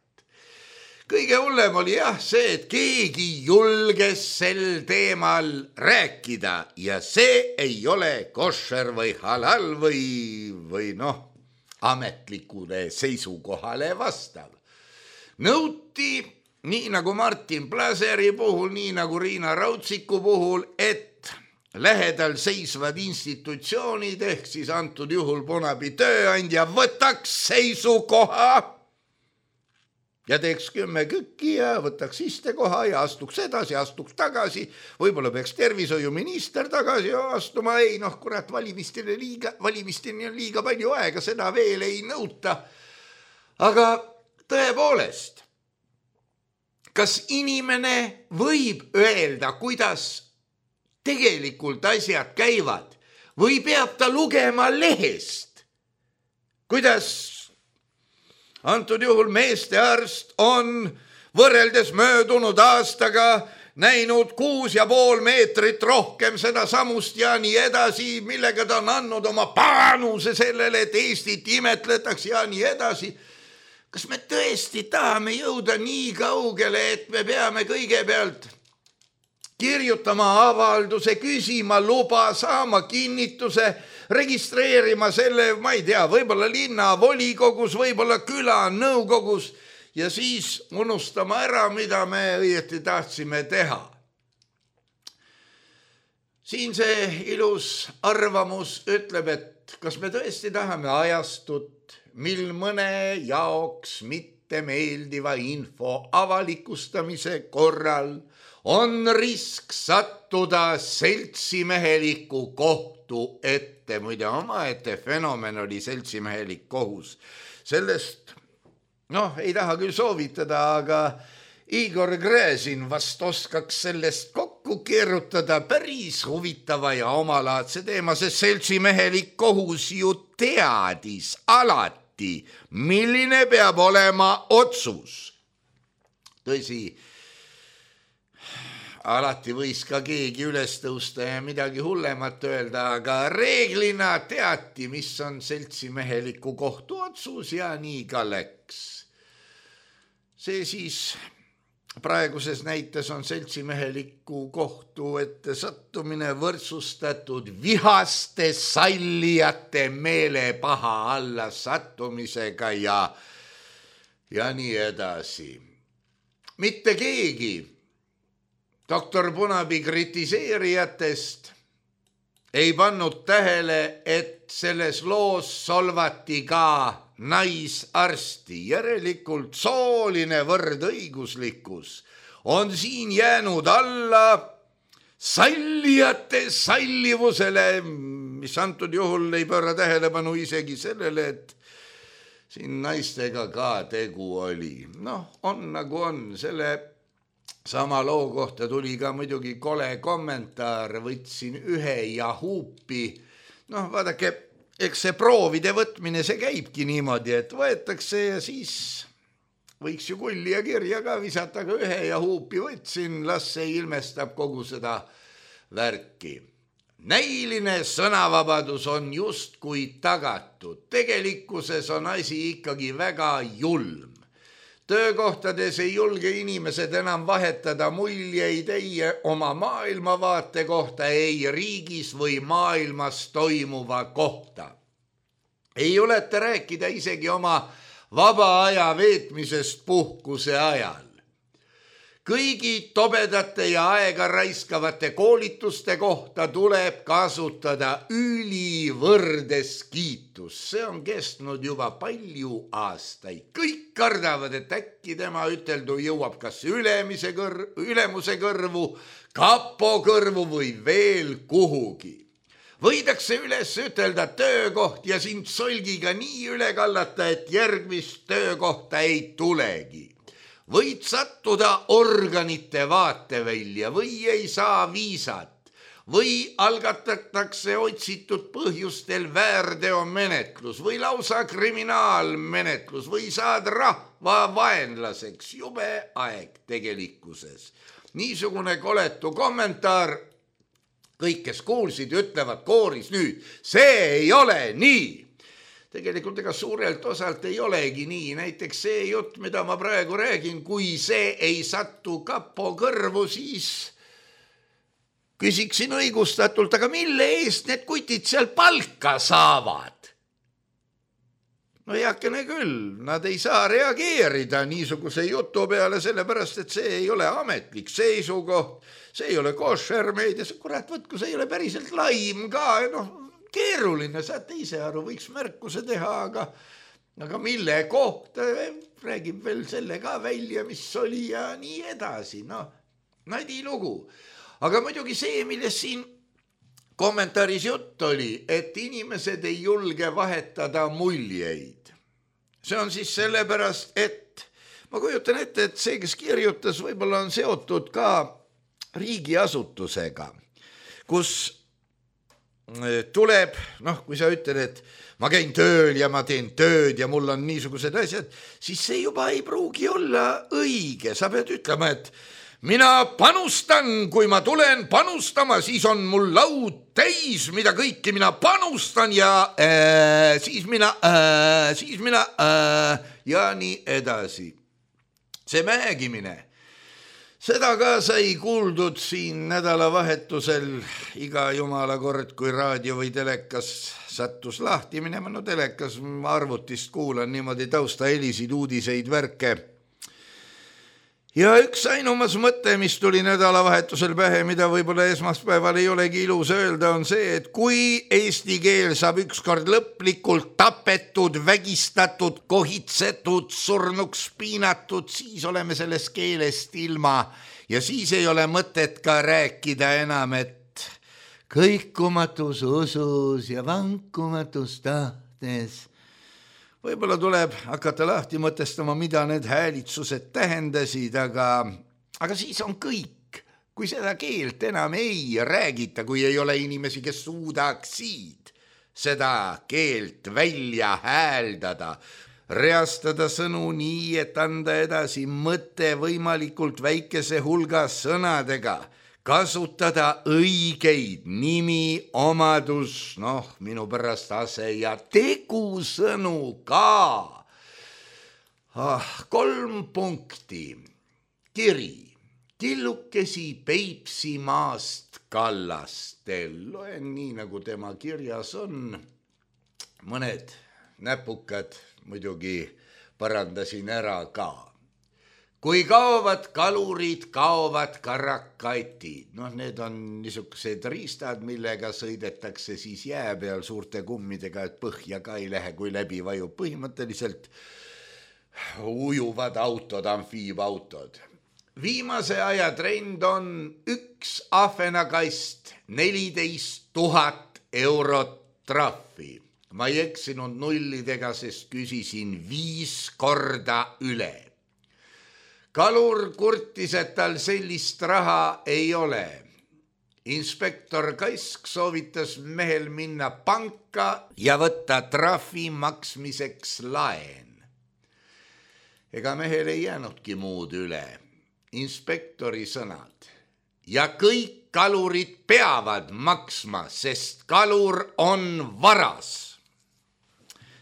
Kõige hullem oli jah see, et keegi julges sel teemal rääkida ja see ei ole košer või halal või, või noh, ametlikule seisukohale vastav. Nõuti, nii nagu Martin Plaseri puhul, nii nagu Riina Rautsiku puhul, et lähedal seisvad institutsioonid ehk siis antud juhul Ponabi tööandja võtaks seisukoha ja teeks kümme kükki ja võtaks istekoha ja astuks edasi, astuks tagasi. Võib-olla peaks tervishoiuminister tagasi astuma. Ei, noh, kurat, valimistele liiga, valimisteni on liiga palju aega, seda veel ei nõuta. Aga tõepoolest, kas inimene võib öelda, kuidas tegelikult asjad käivad või peab ta lugema lehest, kuidas antud juhul meestearst on võrreldes möödunud aastaga näinud kuus ja pool meetrit rohkem seda samust ja nii edasi, millega ta on andnud oma panuse sellele, et Eestit imetletakse ja nii edasi. Kas me tõesti tahame jõuda nii kaugele, et me peame kõigepealt kirjutama avalduse, küsima luba, saama kinnituse, registreerima selle, ma ei tea, võib-olla linna volikogus, võib-olla küla nõukogus ja siis unustama ära, mida me õieti tahtsime teha. Siin see ilus arvamus ütleb, et kas me tõesti tahame ajastut, mil mõne jaoks mitte meeldiva info avalikustamise korral on risk sattuda seltsimeheliku kohtu ette. Muide, omaette fenomen oli seltsimehelik kohus. Sellest, noh, ei taha küll soovitada, aga Igor Gräzin vast oskaks sellest kokku keerutada päris huvitava ja omalaadse teema, sest seltsimehelik kohus ju teadis alati, milline peab olema otsus. Tõsi, alati võis ka keegi üles tõusta ja midagi hullemat öelda, aga reeglina teati, mis on seltsimeheliku kohtu otsus ja nii ka läks. See siis praeguses näites on seltsimeheliku kohtu ette sattumine võrdsustatud vihaste sallijate meelepaha alla sattumisega ja, ja nii edasi. Mitte keegi doktor Punapi kritiseerijatest ei pannud tähele, et selles loos solvati ka naisarsti. Järelikult sooline võrdõiguslikkus on siin jäänud alla sallijate sallivusele, mis antud juhul ei pööra tähelepanu isegi sellele, et siin naistega ka tegu oli. Noh, on nagu on. Selle sama loo kohta tuli ka muidugi kole kommentaar, võtsin ühe ja huupi. Noh, vaadake, eks see proovide võtmine, see käibki niimoodi, et võetakse ja siis võiks ju kulli ja kirja ka visata, aga ühe ja huupi võtsin, las see ilmestab kogu seda värki. Näiline sõnavabadus on justkui tagatud. Tegelikkuses on asi ikkagi väga julm. Töökohtades ei julge inimesed enam vahetada muljeid ei oma maailmavaate kohta, ei riigis või maailmas toimuva kohta. Ei juleta rääkida isegi oma vaba aja veetmisest puhkuse ajal. Kõigi tobedate ja aega raiskavate koolituste kohta tuleb kasutada ülivõrdes kiitus. See on kestnud juba palju aastaid. Kõik kardavad, et äkki tema üteldu jõuab kas ülemise kõr- ülemuse kõrvu, kapo kõrvu või veel kuhugi. Võidakse üles ütelda töökoht ja sind solgiga nii üle kallata, et järgmist töökohta ei tulegi. Võid sattuda organite vaatevälja või ei saa viisat või algatatakse otsitud põhjustel väärteomenetlus või lausa kriminaalmenetlus või saad rahva vaenlaseks. Jube aeg tegelikkuses. Niisugune koletu kommentaar. Kõik, kes kuulsid, ütlevad kooris nüüd, see ei ole nii. Tegelikult ega suurelt osalt ei olegi nii. Näiteks see jutt, mida ma praegu räägin, kui see ei sattu kapo kõrvu, siis küsiksin õigustatult, aga mille eest need kutid seal palka saavad? No heakene küll, nad ei saa reageerida niisuguse jutu peale, sellepärast, et see ei ole ametlik seisukoht, see ei ole košer meedias, kurat, võtku, see ei ole päriselt laim ka, noh, keeruline, saate ise aru, võiks märkuse teha, aga, aga mille kohta räägib veel selle ka välja, mis oli ja nii edasi. No, nadi lugu. Aga muidugi see, milles siin kommentaaris jutt oli, et inimesed ei julge vahetada muljeid. See on siis sellepärast, et ma kujutan ette, et see, kes kirjutas, võib-olla on seotud ka riigiasutusega, kus tuleb, noh, kui sa ütled, et ma käin tööl ja ma teen tööd ja mul on niisugused asjad, siis see juba ei pruugi olla õige. Sa pead ütlema, et mina panustan, kui ma tulen panustama, siis on mul laud täis, mida kõiki mina panustan ja äh, siis mina, äh, siis mina äh, ja nii edasi. See mängimine. Seda ka sai kuuldud siin nädalavahetusel iga jumala kord, kui raadio või telekas sattus lahti minema. No telekas arvutist kuulan niimoodi tausta helisid, uudiseid, värke. Ja üks ainumas mõte, mis tuli nädalavahetusel pähe, mida võib-olla esmaspäeval ei olegi ilus öelda, on see, et kui eesti keel saab ükskord lõplikult tapetud, vägistatud, kohitsetud, surnuks piinatud, siis oleme sellest keelest ilma ja siis ei ole mõtet ka rääkida enam, et kõikumatus usus ja vankumatus tahtes. Võib-olla tuleb hakata lahti mõtestama, mida need häälitsused tähendasid, aga, aga siis on kõik. Kui seda keelt enam ei räägita, kui ei ole inimesi, kes suudaksid seda keelt välja hääldada, reastada sõnu nii, et anda edasi mõte võimalikult väikese hulga sõnadega, kasutada õigeid nimi, omadus, noh, minu pärast ase ja tegusõnu ka. Ah, kolm punkti. kiri, tillukesi Peipsimaast kallastel. Loen nii, nagu tema kirjas on. Mõned näpukad muidugi parandasin ära ka. Kui kaovad kalurid, kaovad karakatid. Noh, need on niisugused riistad, millega sõidetakse siis jää peal suurte kummidega, et põhja ka ei lähe, kui läbi vajub. Põhimõtteliselt ujuvad autod, amfiibautod. Viimase aja trend on üks ahvenakast, neliteist tuhat eurot trahvi. Ma ei eksinud nullidega, sest küsisin viis korda üle. Kalur kurtis, et tal sellist raha ei ole. Inspektor Kaisk soovitas mehel minna panka ja võtta trahvi maksmiseks laen. Ega mehel ei jäänudki muud üle. Inspektori sõnad. Ja kõik kalurid peavad maksma, sest kalur on varas.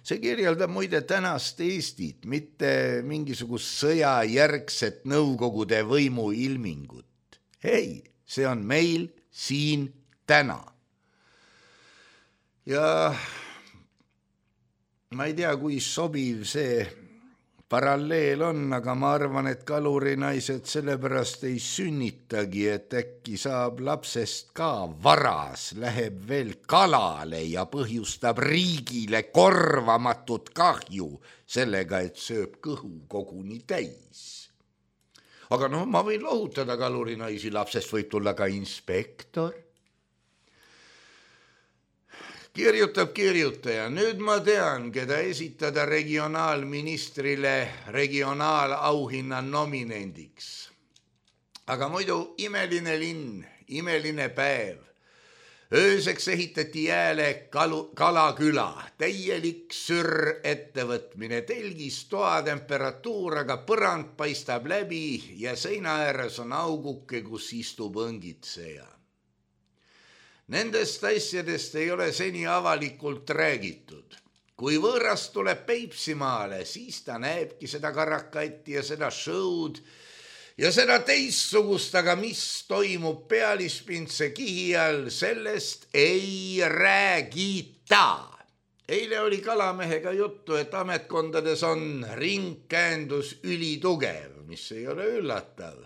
See kirjeldab muide tänast Eestit, mitte mingisugust sõjajärgset nõukogude võimu ilmingut. Ei, see on meil siin täna. Ja ma ei tea, kui sobiv see paralleel on, aga ma arvan, et kalurinaised sellepärast ei sünnitagi, et äkki saab lapsest ka varas, läheb veel kalale ja põhjustab riigile korvamatut kahju sellega, et sööb kõhu koguni täis. Aga noh, ma võin lohutada kalurinaisi, lapsest võib tulla ka inspektor. Kirjutab kirjutaja, nüüd ma tean, keda esitada regionaalministrile regionaalauhinna nominendiks. Aga muidu imeline linn, imeline päev. Ööseks ehitati jääle kalu, kalaküla, täielik sür ettevõtmine, telgis toa temperatuur, aga põrand paistab läbi ja seina ääres on auguke, kus istub õngitseja. Nendest asjadest ei ole seni avalikult räägitud. Kui võõras tuleb Peipsimaale, siis ta näebki seda karakatti ja seda show'd ja seda teissugust, aga mis toimub Pealispintse kihi all, sellest ei räägita. Eile oli Kalamehega juttu, et ametkondades on ringkäändus ülitugev, mis ei ole üllatav.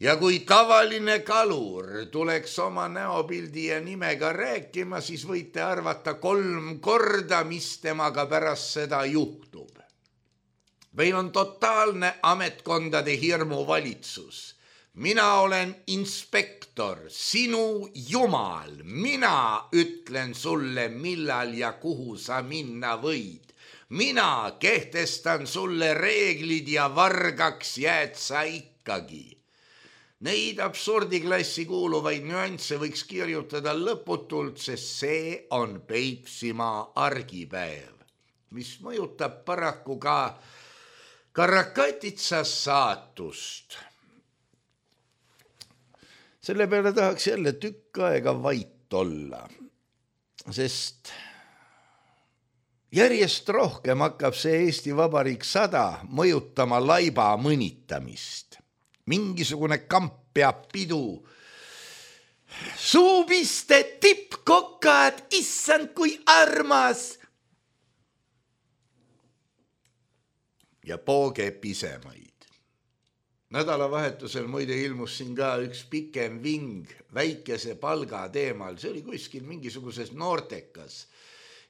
Ja kui tavaline kalur tuleks oma näopildi ja nimega rääkima, siis võite arvata kolm korda, mis temaga pärast seda juhtub. Meil on totaalne ametkondade hirmu valitsus. Mina olen inspektor, sinu jumal. Mina ütlen sulle, millal ja kuhu sa minna võid. Mina kehtestan sulle reeglid ja vargaks jääd sa ikkagi. Neid absurdiklassi kuuluvaid nüansse võiks kirjutada lõputult, sest see on Peipsimaa argipäev, mis mõjutab paraku ka Karakatitsa saatust. Selle peale tahaks jälle tükk aega vait olla, sest järjest rohkem hakkab see Eesti Vabariik sada mõjutama laiba mõnitamist. Mingisugune kamp peab pidu. Suupiste tippkokad, issand kui armas. Ja pooge pisemaid. Nädalavahetusel muide ilmus siin ka üks pikem ving väikese palga teemal. See oli kuskil mingisuguses noortekas.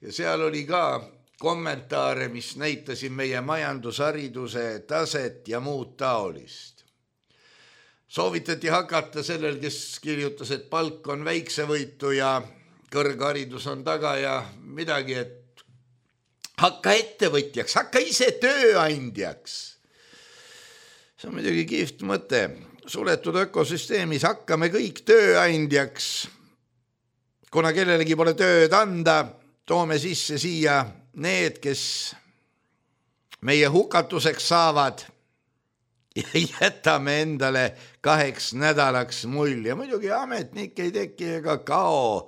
Ja seal oli ka kommentaare, mis näitasid meie majandushariduse taset ja muud taolist. Soovitati hakata sellel, kes kirjutas, et palk on väiksevõitu ja kõrgharidus on taga ja midagi, et hakka ettevõtjaks, hakka ise tööandjaks. See on muidugi kihvt mõte. Suletud ökosüsteemis hakkame kõik tööandjaks. Kuna kellelegi pole tööd anda, toome sisse siia need, kes meie hukatuseks saavad ja jätame endale kaheks nädalaks mulje. Muidugi ametnik ei teki ega kao.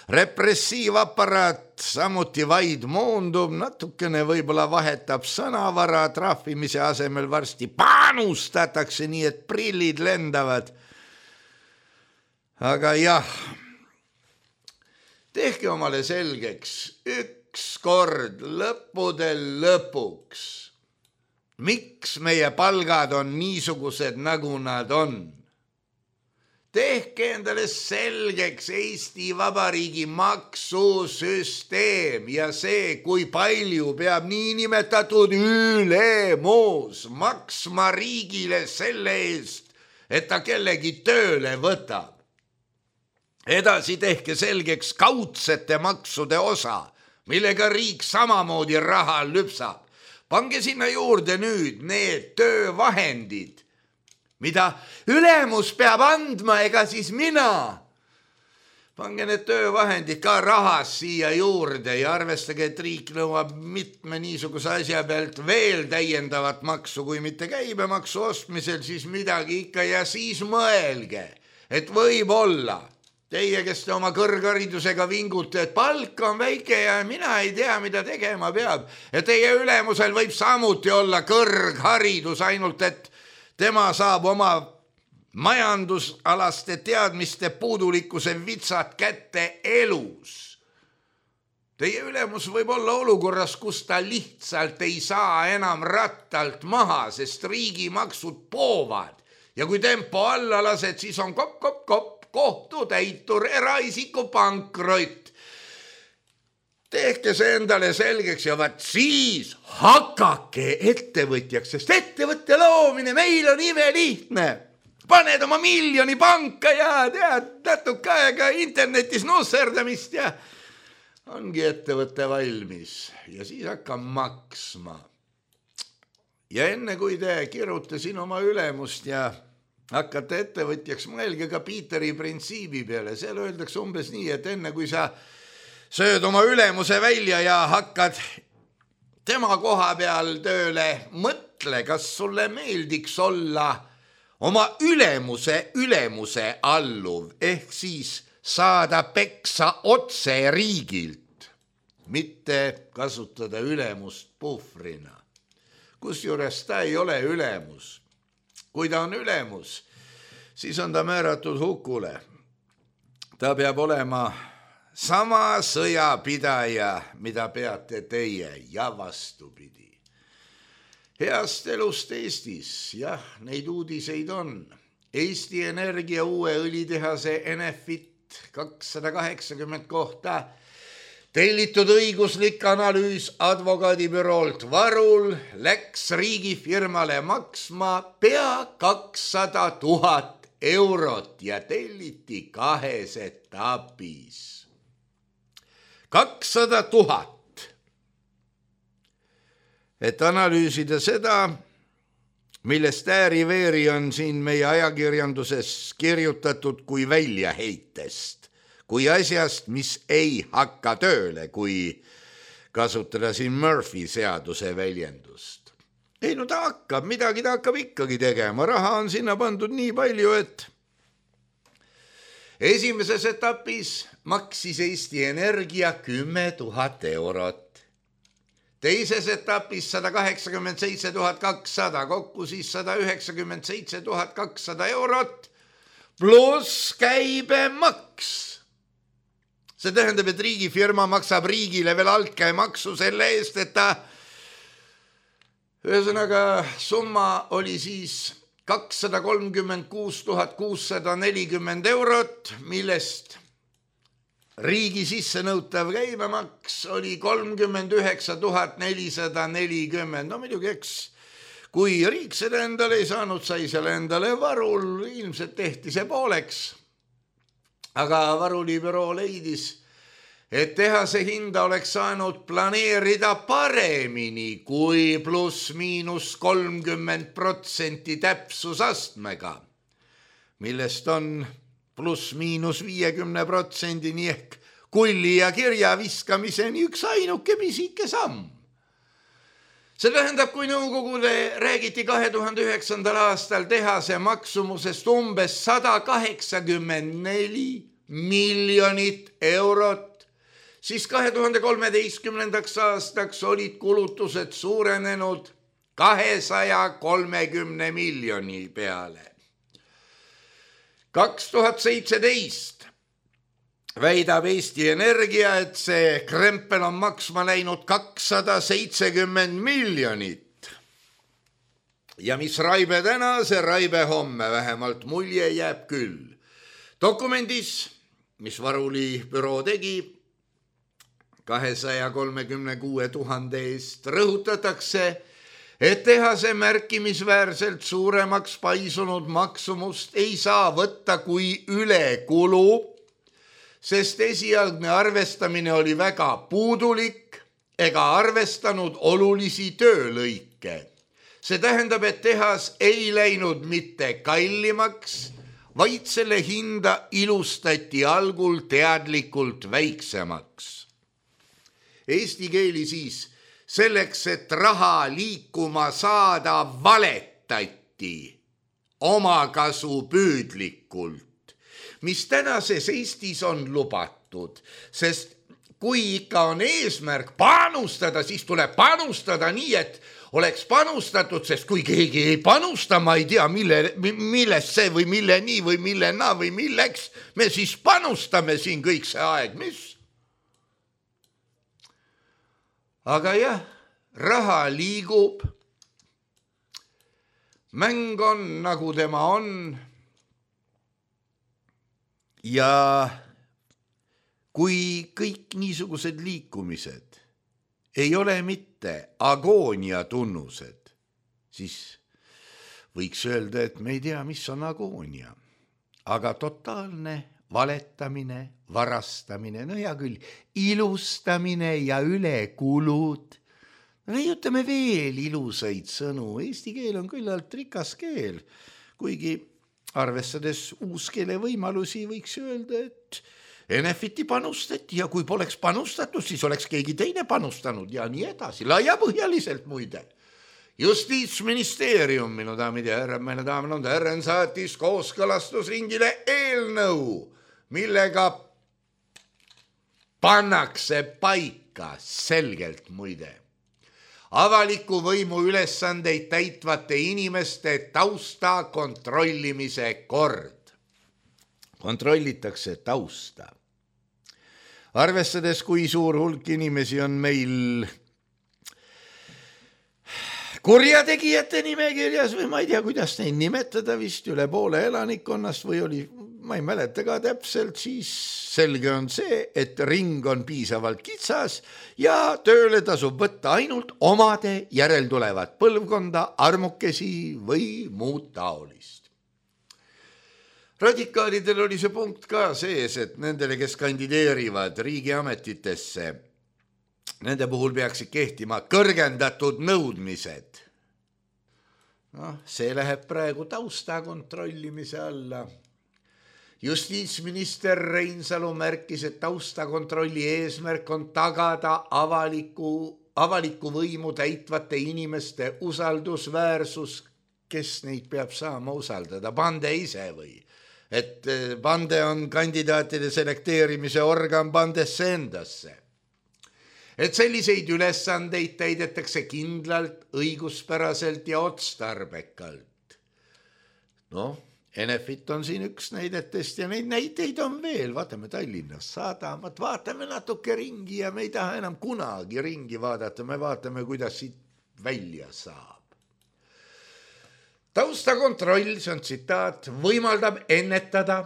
repressiivaparaat samuti vaid moondub, natukene võib-olla vahetab sõnavara, trahvimise asemel varsti panustatakse, nii et prillid lendavad. Aga jah, tehke omale selgeks üks kord lõppudel lõpuks, miks meie palgad on niisugused, nagu nad on. Tehke endale selgeks Eesti Vabariigi maksusüsteem ja see, kui palju peab niinimetatud ülemus maksma riigile selle eest, et ta kellegi tööle võtab. Edasi tehke selgeks kaudsete maksude osa, millega riik samamoodi raha lüpsab. Pange sinna juurde nüüd need töövahendid, mida ülemus peab andma, ega siis mina. Pange need töövahendid ka rahas siia juurde ja arvestage, et riik nõuab mitme niisuguse asja pealt veel täiendavat maksu, kui mitte käibemaksu ostmisel, siis midagi ikka ja siis mõelge, et võib olla teie, kes te oma kõrgharidusega vingute, et palk on väike ja mina ei tea, mida tegema peab. Ja teie ülemusel võib samuti olla kõrgharidus, ainult et tema saab oma majandusalaste teadmiste puudulikkuse vitsad kätte elus. Teie ülemus võib olla olukorras, kus ta lihtsalt ei saa enam rattalt maha, sest riigimaksud poovad. Ja kui tempo alla lased, siis on kopp, kopp, kopp, kohtutäitur, eraisiku pankrott. Tehke see endale selgeks ja vaat siis hakake ettevõtjaks, sest ettevõtte loomine meil on imelihtne. Paned oma miljoni panka ja tead natuke aega internetis nusserdamist ja ongi ettevõte valmis ja siis hakkab maksma. Ja enne kui te kirjute siin oma ülemust ja hakkate ettevõtjaks, mõelge ka Piiteri printsiibi peale. Seal öeldakse umbes nii, et enne kui sa sööd oma ülemuse välja ja hakkad tema koha peal tööle, mõtle, kas sulle meeldiks olla oma ülemuse ülemuse alluv, ehk siis saada peksa otse riigilt, mitte kasutada ülemust puhvrina. Kusjuures ta ei ole ülemus. Kui ta on ülemus, siis on ta määratud hukule. Ta peab olema sama sõjapidaja, mida peate teie ja vastupidi. Heast elust Eestis, jah, neid uudiseid on. Eesti Energia uue õlitehase Enefit kakssada kaheksakümmend kohta tellitud õiguslik analüüs advokaadibüroolt Varul läks riigifirmale maksma pea kakssada tuhat eurot ja telliti kahes etapis. kakssada tuhat. Et analüüsida seda, millest ääri-veeri on siin meie ajakirjanduses kirjutatud kui väljaheitest, kui asjast, mis ei hakka tööle, kui kasutada siin Murphy seaduse väljendust. Ei, no ta hakkab, midagi ta hakkab ikkagi tegema. Raha on sinna pandud nii palju, et esimeses etapis maksis Eesti Energia kümme tuhat eurot. Teises etapis sada kaheksakümmend seitse tuhat kakssada, kokku siis sada üheksakümmend seitse tuhat kakssada eurot, pluss käibemaks. See tähendab, et riigifirma maksab riigile veel altkäemaksu selle eest, et ta, ühesõnaga summa oli siis kakssada kolmkümmend kuus tuhat kuussada nelikümmend eurot, millest riigi sisse nõutav käibemaks oli kolmkümmend üheksa tuhat nelisada nelikümmend. No muidugi, eks, kui riik seda endale ei saanud, sai selle endale Varul, ilmselt tehti see pooleks. Aga Varuli büroo leidis, et tehase hinda oleks saanud planeerida paremini kui pluss miinus kolmkümmend protsenti täpsusastmega, millest on pluss miinus viiekümne protsendini ehk kulli ja kirja viskamiseni üks ainuke pisike samm. See tähendab, kui nõukogule räägiti kahe tuhande üheksandal aastal tehase maksumusest umbes sada kaheksakümmend neli miljonit eurot, siis kahe tuhande kolmeteistkümnendaks aastaks olid kulutused suurenenud kahesaja kolmekümne miljoni peale. kaks tuhat seitseteist väidab Eesti Energia, et see krempel on maksma läinud kakssada seitsekümmend miljonit. Ja mis raibe täna, see raibe homme, vähemalt mulje jääb küll. Dokumendis, mis Varuli büroo tegi, kahesaja kolmekümne kuue tuhande eest rõhutatakse, et tehase märkimisväärselt suuremaks paisunud maksumust ei saa võtta kui ülekulu, sest esialgne arvestamine oli väga puudulik ega arvestanud olulisi töölõike. See tähendab, et tehas ei läinud mitte kallimaks, vaid selle hinda ilustati algul teadlikult väiksemaks. Eesti keeli siis selleks, et raha liikuma saada, valetati omakasu püüdlikult, mis tänases Eestis on lubatud, sest kui ikka on eesmärk panustada, siis tuleb panustada nii, et oleks panustatud, sest kui keegi ei panusta, ma ei tea, mille, millest see või mille nii või mille naa või milleks, me siis panustame siin kõik see aeg, mis? Aga jah, raha liigub, mäng on nagu tema on ja kui kõik niisugused liikumised ei ole mitte agoonia tunnused, siis võiks öelda, et me ei tea, mis on agoonia, aga totaalne valetamine, varastamine, no hea küll, ilustamine ja ülekulud. Leiutame veel ilusaid sõnu, eesti keel on küllalt rikas keel, kuigi arvestades uuskeele võimalusi võiks öelda, et Enefiti panustati ja kui poleks panustatud, siis oleks keegi teine panustanud ja nii edasi, laiapõhjaliselt muide. Justiitsministeerium, minu daamid ja härrad, meine daamid on härren, saatis kooskõlastusringile eelnõu, millega pannakse paika selgelt muide avaliku võimu ülesandeid täitvate inimeste tausta kontrollimise kord. Kontrollitakse tausta. Arvestades, kui suur hulk inimesi on meil kurjategijate nimekirjas või ma ei tea, kuidas neid nimetada, vist üle poole elanikkonnast või oli, ma ei mäleta ka täpselt, siis selge on see, et ring on piisavalt kitsas ja tööle tasub võtta ainult omade järeltulevat põlvkonda, armukesi või muud taolist. Radikaalidel oli see punkt ka sees, et nendele, kes kandideerivad riigiametitesse, nende puhul peaksid kehtima kõrgendatud nõudmised. No, see läheb praegu tausta kontrollimise alla. Justiitsminister Reinsalu märkis, et taustakontrolli eesmärk on tagada avaliku, avaliku võimu täitvate inimeste usaldusväärsus, kes neid peab saama usaldada, bande ise või? Et bande on kandidaatide selekteerimise organ bandesse endasse. Et selliseid ülesandeid täidetakse kindlalt, õiguspäraselt ja otstarbekalt. Noh, Enefit on siin üks näidetest ja neid näiteid on veel. Vaatame Tallinnas sadamat, vaatame natuke ringi ja me ei taha enam kunagi ringi vaadata. Me vaatame, kuidas siit välja saab. Taustakontroll, see on tsitaat, võimaldab ennetada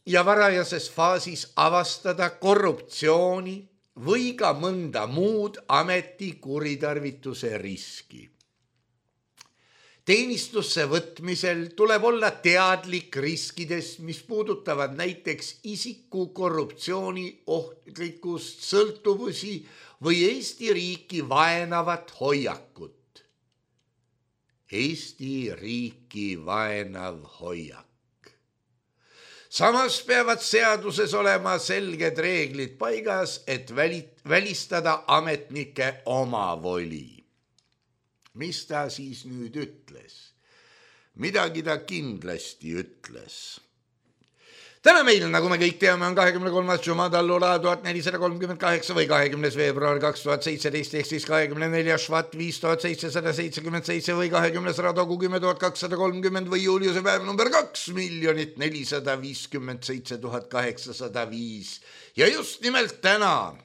ja varajases faasis avastada korruptsiooni või ka mõnda muud ameti kuritarvituse riski. Teenistusse võtmisel tuleb olla teadlik riskidest, mis puudutavad näiteks isiku korruptsiooni ohtlikkust, sõltuvusi või Eesti riiki vaenavat hoiakut. Eesti riiki vaenav hoiak. Samas peavad seaduses olema selged reeglid paigas, et välistada ametnike omavoli. Mis ta siis nüüd ütles? Midagi ta kindlasti ütles. täna meil, nagu me kõik teame, on kahekümne kolmas Jumadallula tuhat nelisada kolmkümmend kaheksa või kahekümnes veebruar kaks tuhat seitseteist ehk siis kahekümne neljas Švat viis tuhat seitsesada seitsekümmend seitse või kahekümnes Radogu kümme tuhat kakssada kolmkümmend või Juliuse päev number kaks miljonit nelisada viiskümmend seitse tuhat kaheksasada viis. Ja just nimelt täna,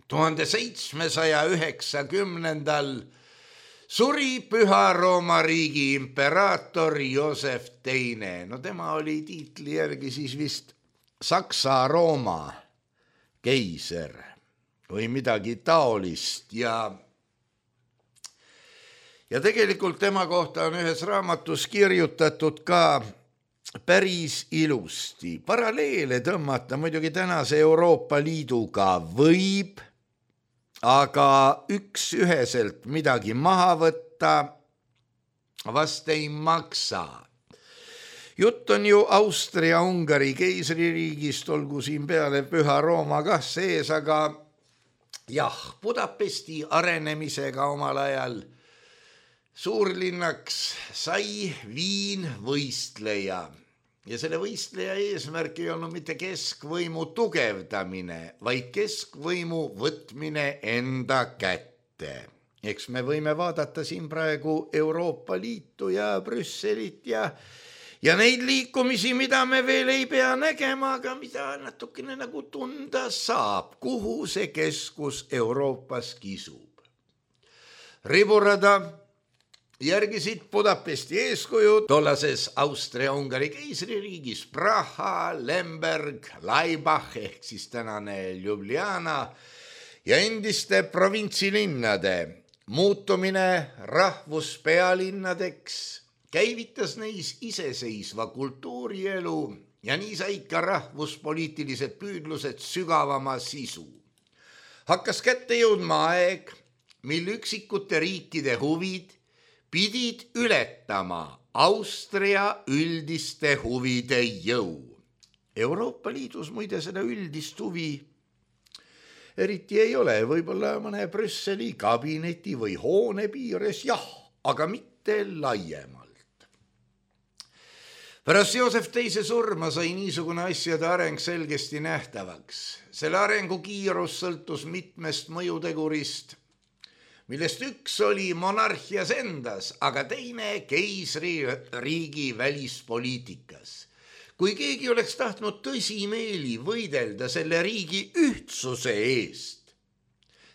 tuhande seitsmesaja üheksakümnendal suri Püha Rooma riigi imperaator Joosef teine. No tema oli tiitli järgi siis vist Saksa-Rooma keiser või midagi taolist ja ja tegelikult tema kohta on ühes raamatus kirjutatud ka päris ilusti. Paralleele tõmmata muidugi tänase Euroopa Liiduga võib, aga üks üheselt midagi maha võtta vast ei maksa. Jutt on ju Austria-Ungari keisririigist, olgu siin peale Püha Rooma kah sees, aga jah, Budapesti arenemisega omal ajal suurlinnaks sai Viin võistleja. Ja selle võistleja eesmärk ei olnud mitte keskvõimu tugevdamine, vaid keskvõimu võtmine enda kätte. Eks me võime vaadata siin praegu Euroopa Liitu ja Brüsselit ja, ja neid liikumisi, mida me veel ei pea nägema, aga mida natukene nagu tunda saab, kuhu see keskus Euroopas kisub. Riburada järgisid Budapesti eeskujud tollases Austria-Ungari keisririigis Praha, Lemberg, Laibach ehk siis tänane Ljubljana ja endiste provintsilinnade muutumine rahvuspealinnadeks käivitas neis iseseisva kultuurielu ja nii said ka rahvuspoliitilised püüdlused sügavama sisu. Hakkas kätte jõudma aeg, mil üksikute riikide huvid pidid ületama Austria üldiste huvide jõu. Euroopa Liidus muide seda üldist huvi eriti ei ole, võib-olla mõne Brüsseli kabineti või hoone piires, jah, aga mitte laiemalt. Pärast Joosef teise surma sai niisugune asjade areng selgesti nähtavaks. Selle arengu kiirus sõltus mitmest mõjutegurist, millest üks oli monarhias endas, aga teine keisririigi välispoliitikas. Kui keegi oleks tahtnud tõsimeeli võidelda selle riigi ühtsuse eest,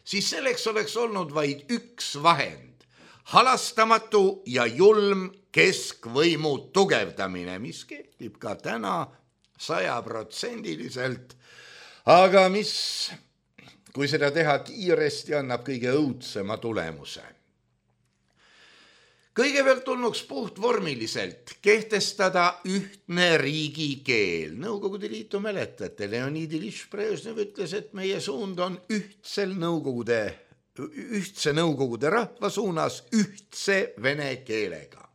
siis selleks oleks olnud vaid üks vahend, halastamatu ja julm keskvõimu tugevdamine, mis kehtib ka täna sajaprotsendiliselt, aga mis, kui seda teha kiiresti, annab kõige õudsema tulemuse. Kõigepealt tulnuks puhtvormiliselt kehtestada ühtne riigikeel. Nõukogude Liitu mäletate, Leonid Ilyich Brežnev ütles, et meie suund on ühtsel nõukogude, ühtse nõukogude rahva suunas ühtse vene keelega.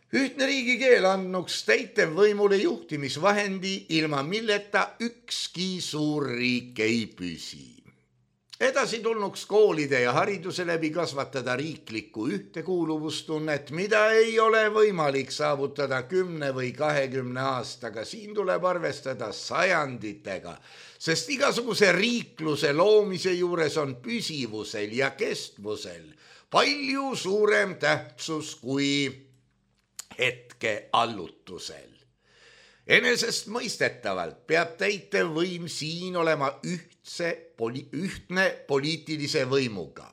Ühtne riigikeel andnuks täitevvõimule juhtimisvahendi, ilma milleta ükski suur riik ei püsi. Edasi tulnuks koolide ja hariduse läbi kasvatada riiklikku ühtekuuluvustunnet, mida ei ole võimalik saavutada kümne või kahekümne aastaga. Siin tuleb arvestada sajanditega, sest igasuguse riikluse loomise juures on püsivusel ja kestvusel palju suurem tähtsus kui hetke allutusel. Enesest mõistetavalt peab täitevvõim siin olema ühtse, poli, ühtne poliitilise võimuga.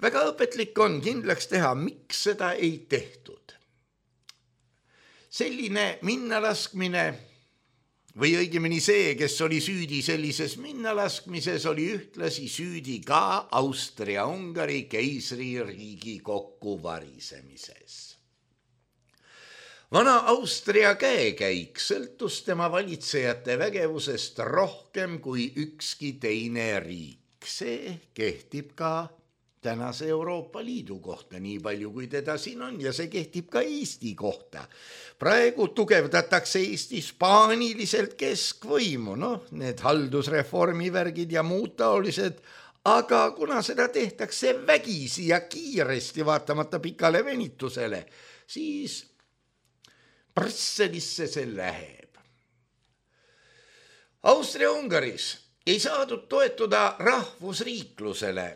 Väga õpetlik on kindlaks teha, miks seda ei tehtud. Selline minnalaskmine, või õigemini see, kes oli süüdi sellises minnalaskmises, oli ühtlasi süüdi ka Austria-Ungari keisririigi kokkuvarisemises. Vana Austria käekäik sõltus tema valitsejate vägevusest rohkem kui ükski teine riik. See kehtib ka tänase Euroopa Liidu kohta, nii palju kui teda siin on, ja see kehtib ka Eesti kohta. Praegu tugevdatakse Eestis paaniliselt keskvõimu, noh, need haldusreformi värgid ja muud taolised, aga kuna seda tehtakse vägisi ja kiiresti vaatamata pikale venitusele, siis Brüsselisse see läheb. Austria-Ungaris ei saadud toetuda rahvusriiklusele,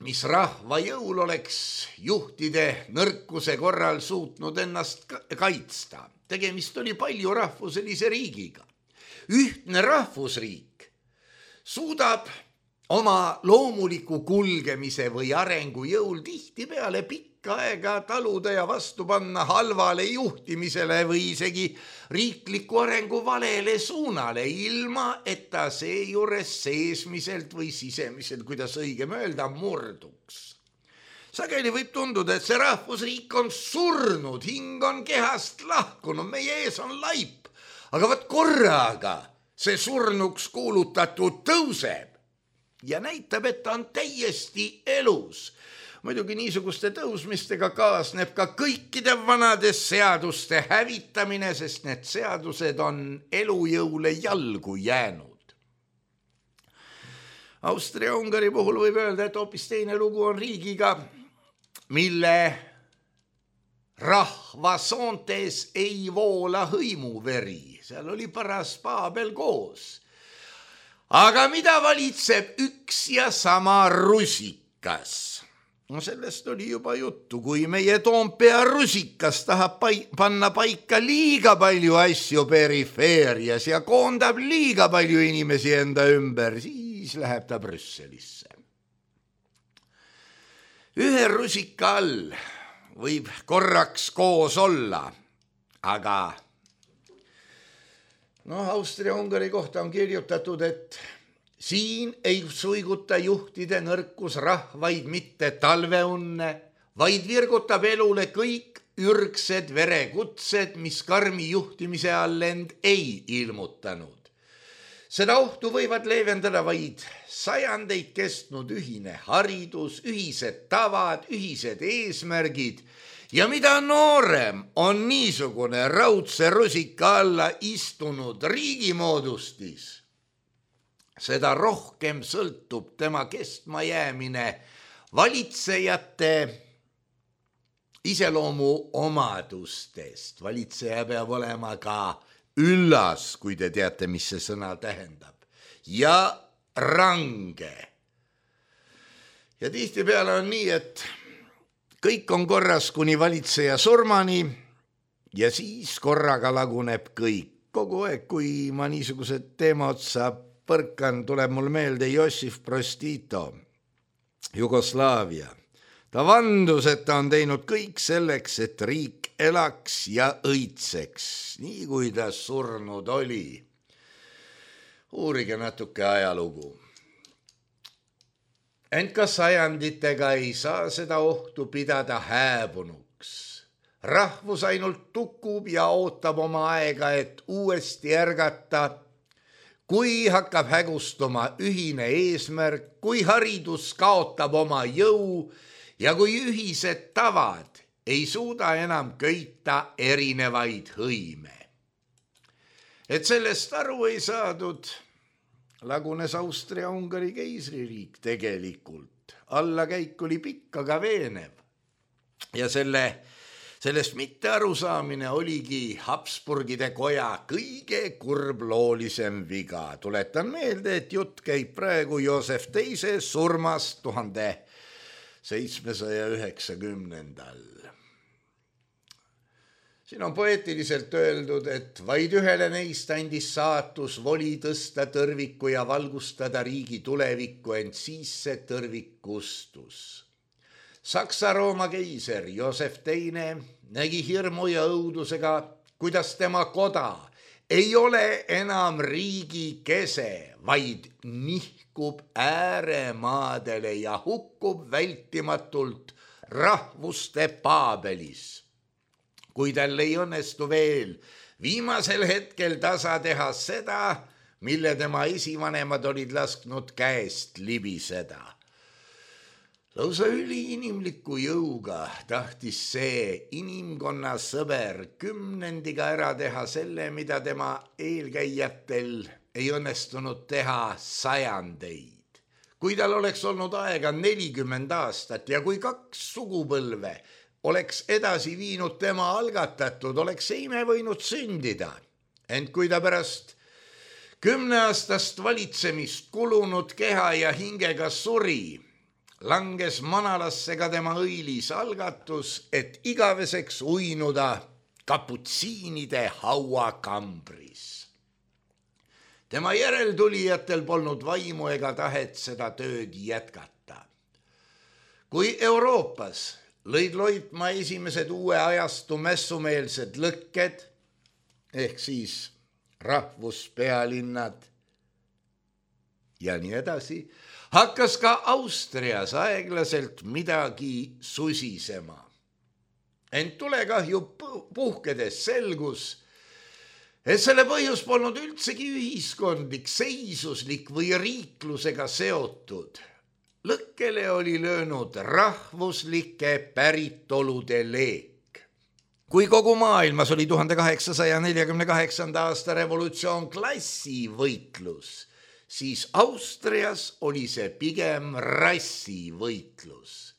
mis rahva jõul oleks juhtide nõrkuse korral suutnud ennast kaitsta. Tegemist oli palju rahvuselise riigiga. Ühtne rahvusriik suudab oma loomuliku kulgemise või arengu jõul tihti peale pikka aega taluda ja vastu panna halvale juhtimisele või isegi riikliku arengu valele suunale, ilma et ta seejuures seesmiselt või sisemiselt, kuidas õigem öelda, murduks. Sageli võib tunduda, et see rahvusriik on surnud, hing on kehast lahkunud, meie ees on laip, aga võt korraga see surnuks kuulutatud tõuseb ja näitab, et ta on täiesti elus. Muidugi niisuguste tõusmistega kaasneb ka kõikide vanade seaduste hävitamine, sest need seadused on elujõule jalgu jäänud. Austria-Ungari puhul võib öelda, et hoopis teine lugu on riigiga, mille rahva soontes ei voola hõimuveri. Seal oli paras paabel koos. Aga mida valitseb üks ja sama rusikas? No sellest oli juba juttu, kui meie Toompea rusikas tahab pai- panna paika liiga palju asju perifeerias ja koondab liiga palju inimesi enda ümber, siis läheb ta Brüsselisse. Ühe rusika all võib korraks koos olla, aga no Austria-Ungari kohta on kirjutatud, et siin ei suiguta juhtide nõrkus rahvaid mitte talveunne, vaid virgutab elule kõik ürgsed verekutsed, mis karmi juhtimise all end ei ilmutanud. Seda ohtu võivad leevendada vaid sajandeid kestnud ühine haridus, ühised tavad, ühised eesmärgid ja mida noorem on niisugune raudse rusika alla istunud riigimoodustis, seda rohkem sõltub tema kestmajäämine valitsejate iseloomu omadustest. Valitseja peab olema ka üllas, kui te teate, mis see sõna tähendab, ja range. Ja tihtipeale on nii, et kõik on korras kuni valitseja surmani ja siis korraga laguneb kõik. Kogu aeg, kui ma niisugused teema otsa põrkan, tuleb mul meelde Jossif Broz Tito, Jugoslaavia. Ta vandus, et ta on teinud kõik selleks, et riik elaks ja õitseks, nii kui ta surnud oli. Uurige natuke ajalugu. Ent ka sajanditega ei saa seda ohtu pidada hääbunuks. Rahvus ainult tukub ja ootab oma aega, et uuesti ärgata, kui hakkab hägustuma ühine eesmärk, kui haridus kaotab oma jõu ja kui ühised tavad ei suuda enam köita erinevaid hõime. Et sellest aru ei saadud, lagunes Austria-Ungari keisririik tegelikult. Allakäik oli pikk, aga veenev. Ja selle, sellest mitte arusaamine oligi Habsburgide koja kõige kurbloolisem viga. Tuletan meelde, et jutt käib praegu Joosef teise surmast tuhande seitsmesaja üheksakümnendal. Siin on poeetiliselt öeldud, et vaid ühele neist andis saatus voli tõsta tõrviku ja valgustada riigi tulevikku, ent siis see tõrvik kustus. Saksa-Rooma keiser Joosef teine nägi hirmu ja õudusega, kuidas tema koda ei ole enam riigi kese, vaid nihkub ääremaadele ja hukkub vältimatult rahvuste paabelis. Kui tal ei õnnestu veel viimasel hetkel tasa teha seda, mille tema esivanemad olid lasknud käest libiseda. Lausa üliinimliku jõuga tahtis see inimkonna sõber kümnendiga ära teha selle, mida tema eelkäijatel ei õnnestunud teha sajandeid. Kui tal oleks olnud aega nelikümmend aastat ja kui kaks sugupõlve oleks edasi viinud tema algatatud, oleks see ime võinud sündida. Ent kui ta pärast kümneaastast valitsemist kulunud keha ja hingega suri, langes manalasse ka tema õilis algatus, et igaveseks uinuda kaputsiinide hauakambris. Tema järeltulijatel polnud vaimu ega tahet seda tööd jätkata. Kui Euroopas lõid loitma esimesed uue ajastu mässumeelsed lõkked, ehk siis rahvuspealinnad ja nii edasi, hakkas ka Austrias aeglaselt midagi susisema. Ent tulekahju puhkedes selgus, et selle põhjus polnud üldsegi ühiskondlik, seisuslik või riiklusega seotud. Lõkkele oli löönud rahvuslike päritolude leek. Kui kogu maailmas oli tuhande kaheksasaja neljakümne kaheksanda aasta revolutsioon klassivõitlus, siis Austrias oli see pigem rassivõitlus.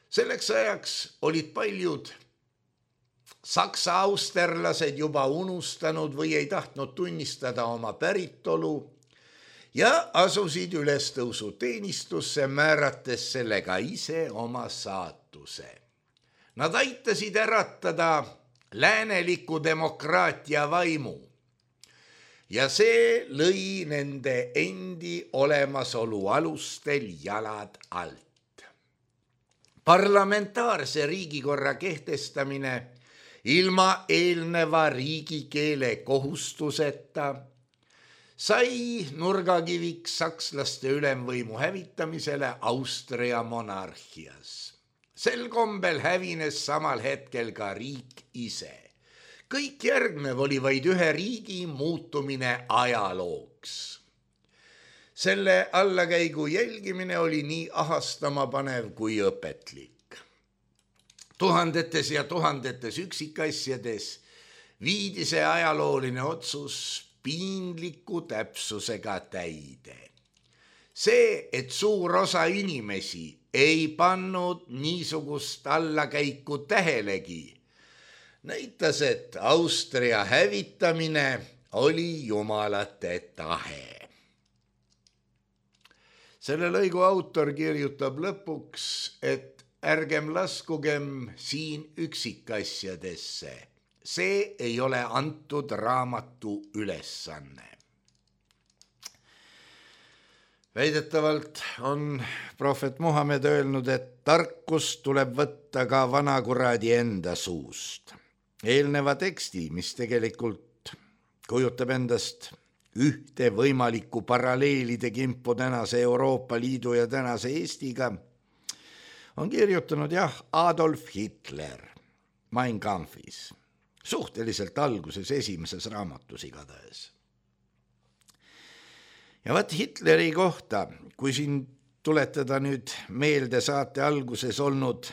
Selleks ajaks olid paljud saksa austerlased juba unustanud või ei tahtnud tunnistada oma päritolu ja asusid ülestõusuteenistusse, määrates sellega ise oma saatuse. Nad aitasid äratada lääneliku demokraatia vaimu ja see lõi nende endi olemasolu alustel jalad alt. Parlamentaarse riigikorra kehtestamine ilma eelneva riigikeele kohustuseta sai nurgakiviks sakslaste ülemvõimu hävitamisele Austria monarhias. Sel kombel hävines samal hetkel ka riik ise. Kõik järgnev oli vaid ühe riigi muutumine ajalooks. Selle allakäigu jälgimine oli nii ahastama panev kui õpetlik. Tuhandetes ja tuhandetes üksikasjades viidi see ajalooline otsus piinliku täpsusega täide. See, et suur osa inimesi ei pannud niisugust allakäiku tähelegi, näitas, et Austria hävitamine oli jumalate tahe. Selle lõigu autor kirjutab lõpuks, et ärgem laskugem siin üksikasjadesse. See ei ole antud raamatu ülesanne. Väidetavalt on prohvet Muhamed öelnud, et tarkust tuleb võtta ka vanakuradi enda suust. Eelneva teksti, mis tegelikult kujutab endast ühte võimalikku paralleelide kimpu tänase Euroopa Liidu ja tänase Eestiga, on kirjutanud jah Adolf Hitler Mein Kampfis, suhteliselt alguses esimeses raamatus igatahes. Ja vaat Hitleri kohta, kui siin tuletada nüüd meelde saate alguses olnud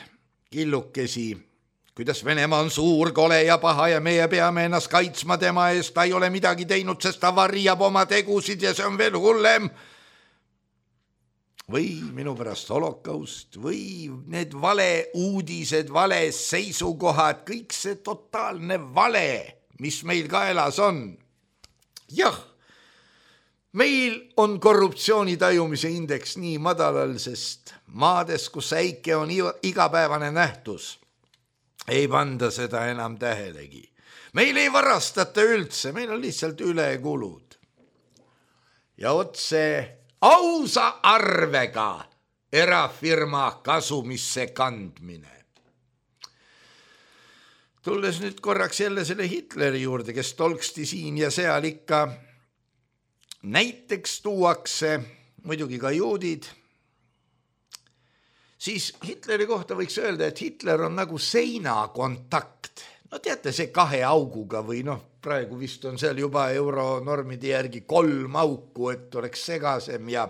killukesi, kuidas Venemaa on suur, kole ja paha ja meie peame ennast kaitsma tema eest, ta ei ole midagi teinud, sest ta varjab oma tegusid ja see on veel hullem. Või minu pärast holokaust või need vale uudised, vale seisukohad, kõik see totaalne vale, mis meil kaelas on. Jah, meil on korruptsiooni tajumise indeks nii madalal, sest maades, kus äike on igapäevane nähtus, ei panda seda enam tähelegi. Meil ei varastata üldse, meil on lihtsalt ülekulud. Ja otse ausa arvega erafirma kasumisse kandmine. Tulles nüüd korraks jälle selle Hitleri juurde, kes tolksti siin ja seal ikka näiteks tuuakse, muidugi ka juudid, siis Hitleri kohta võiks öelda, et Hitler on nagu seinakontakt. No teate, see kahe auguga või noh, praegu vist on seal juba euronormide järgi kolm auku, et oleks segasem ja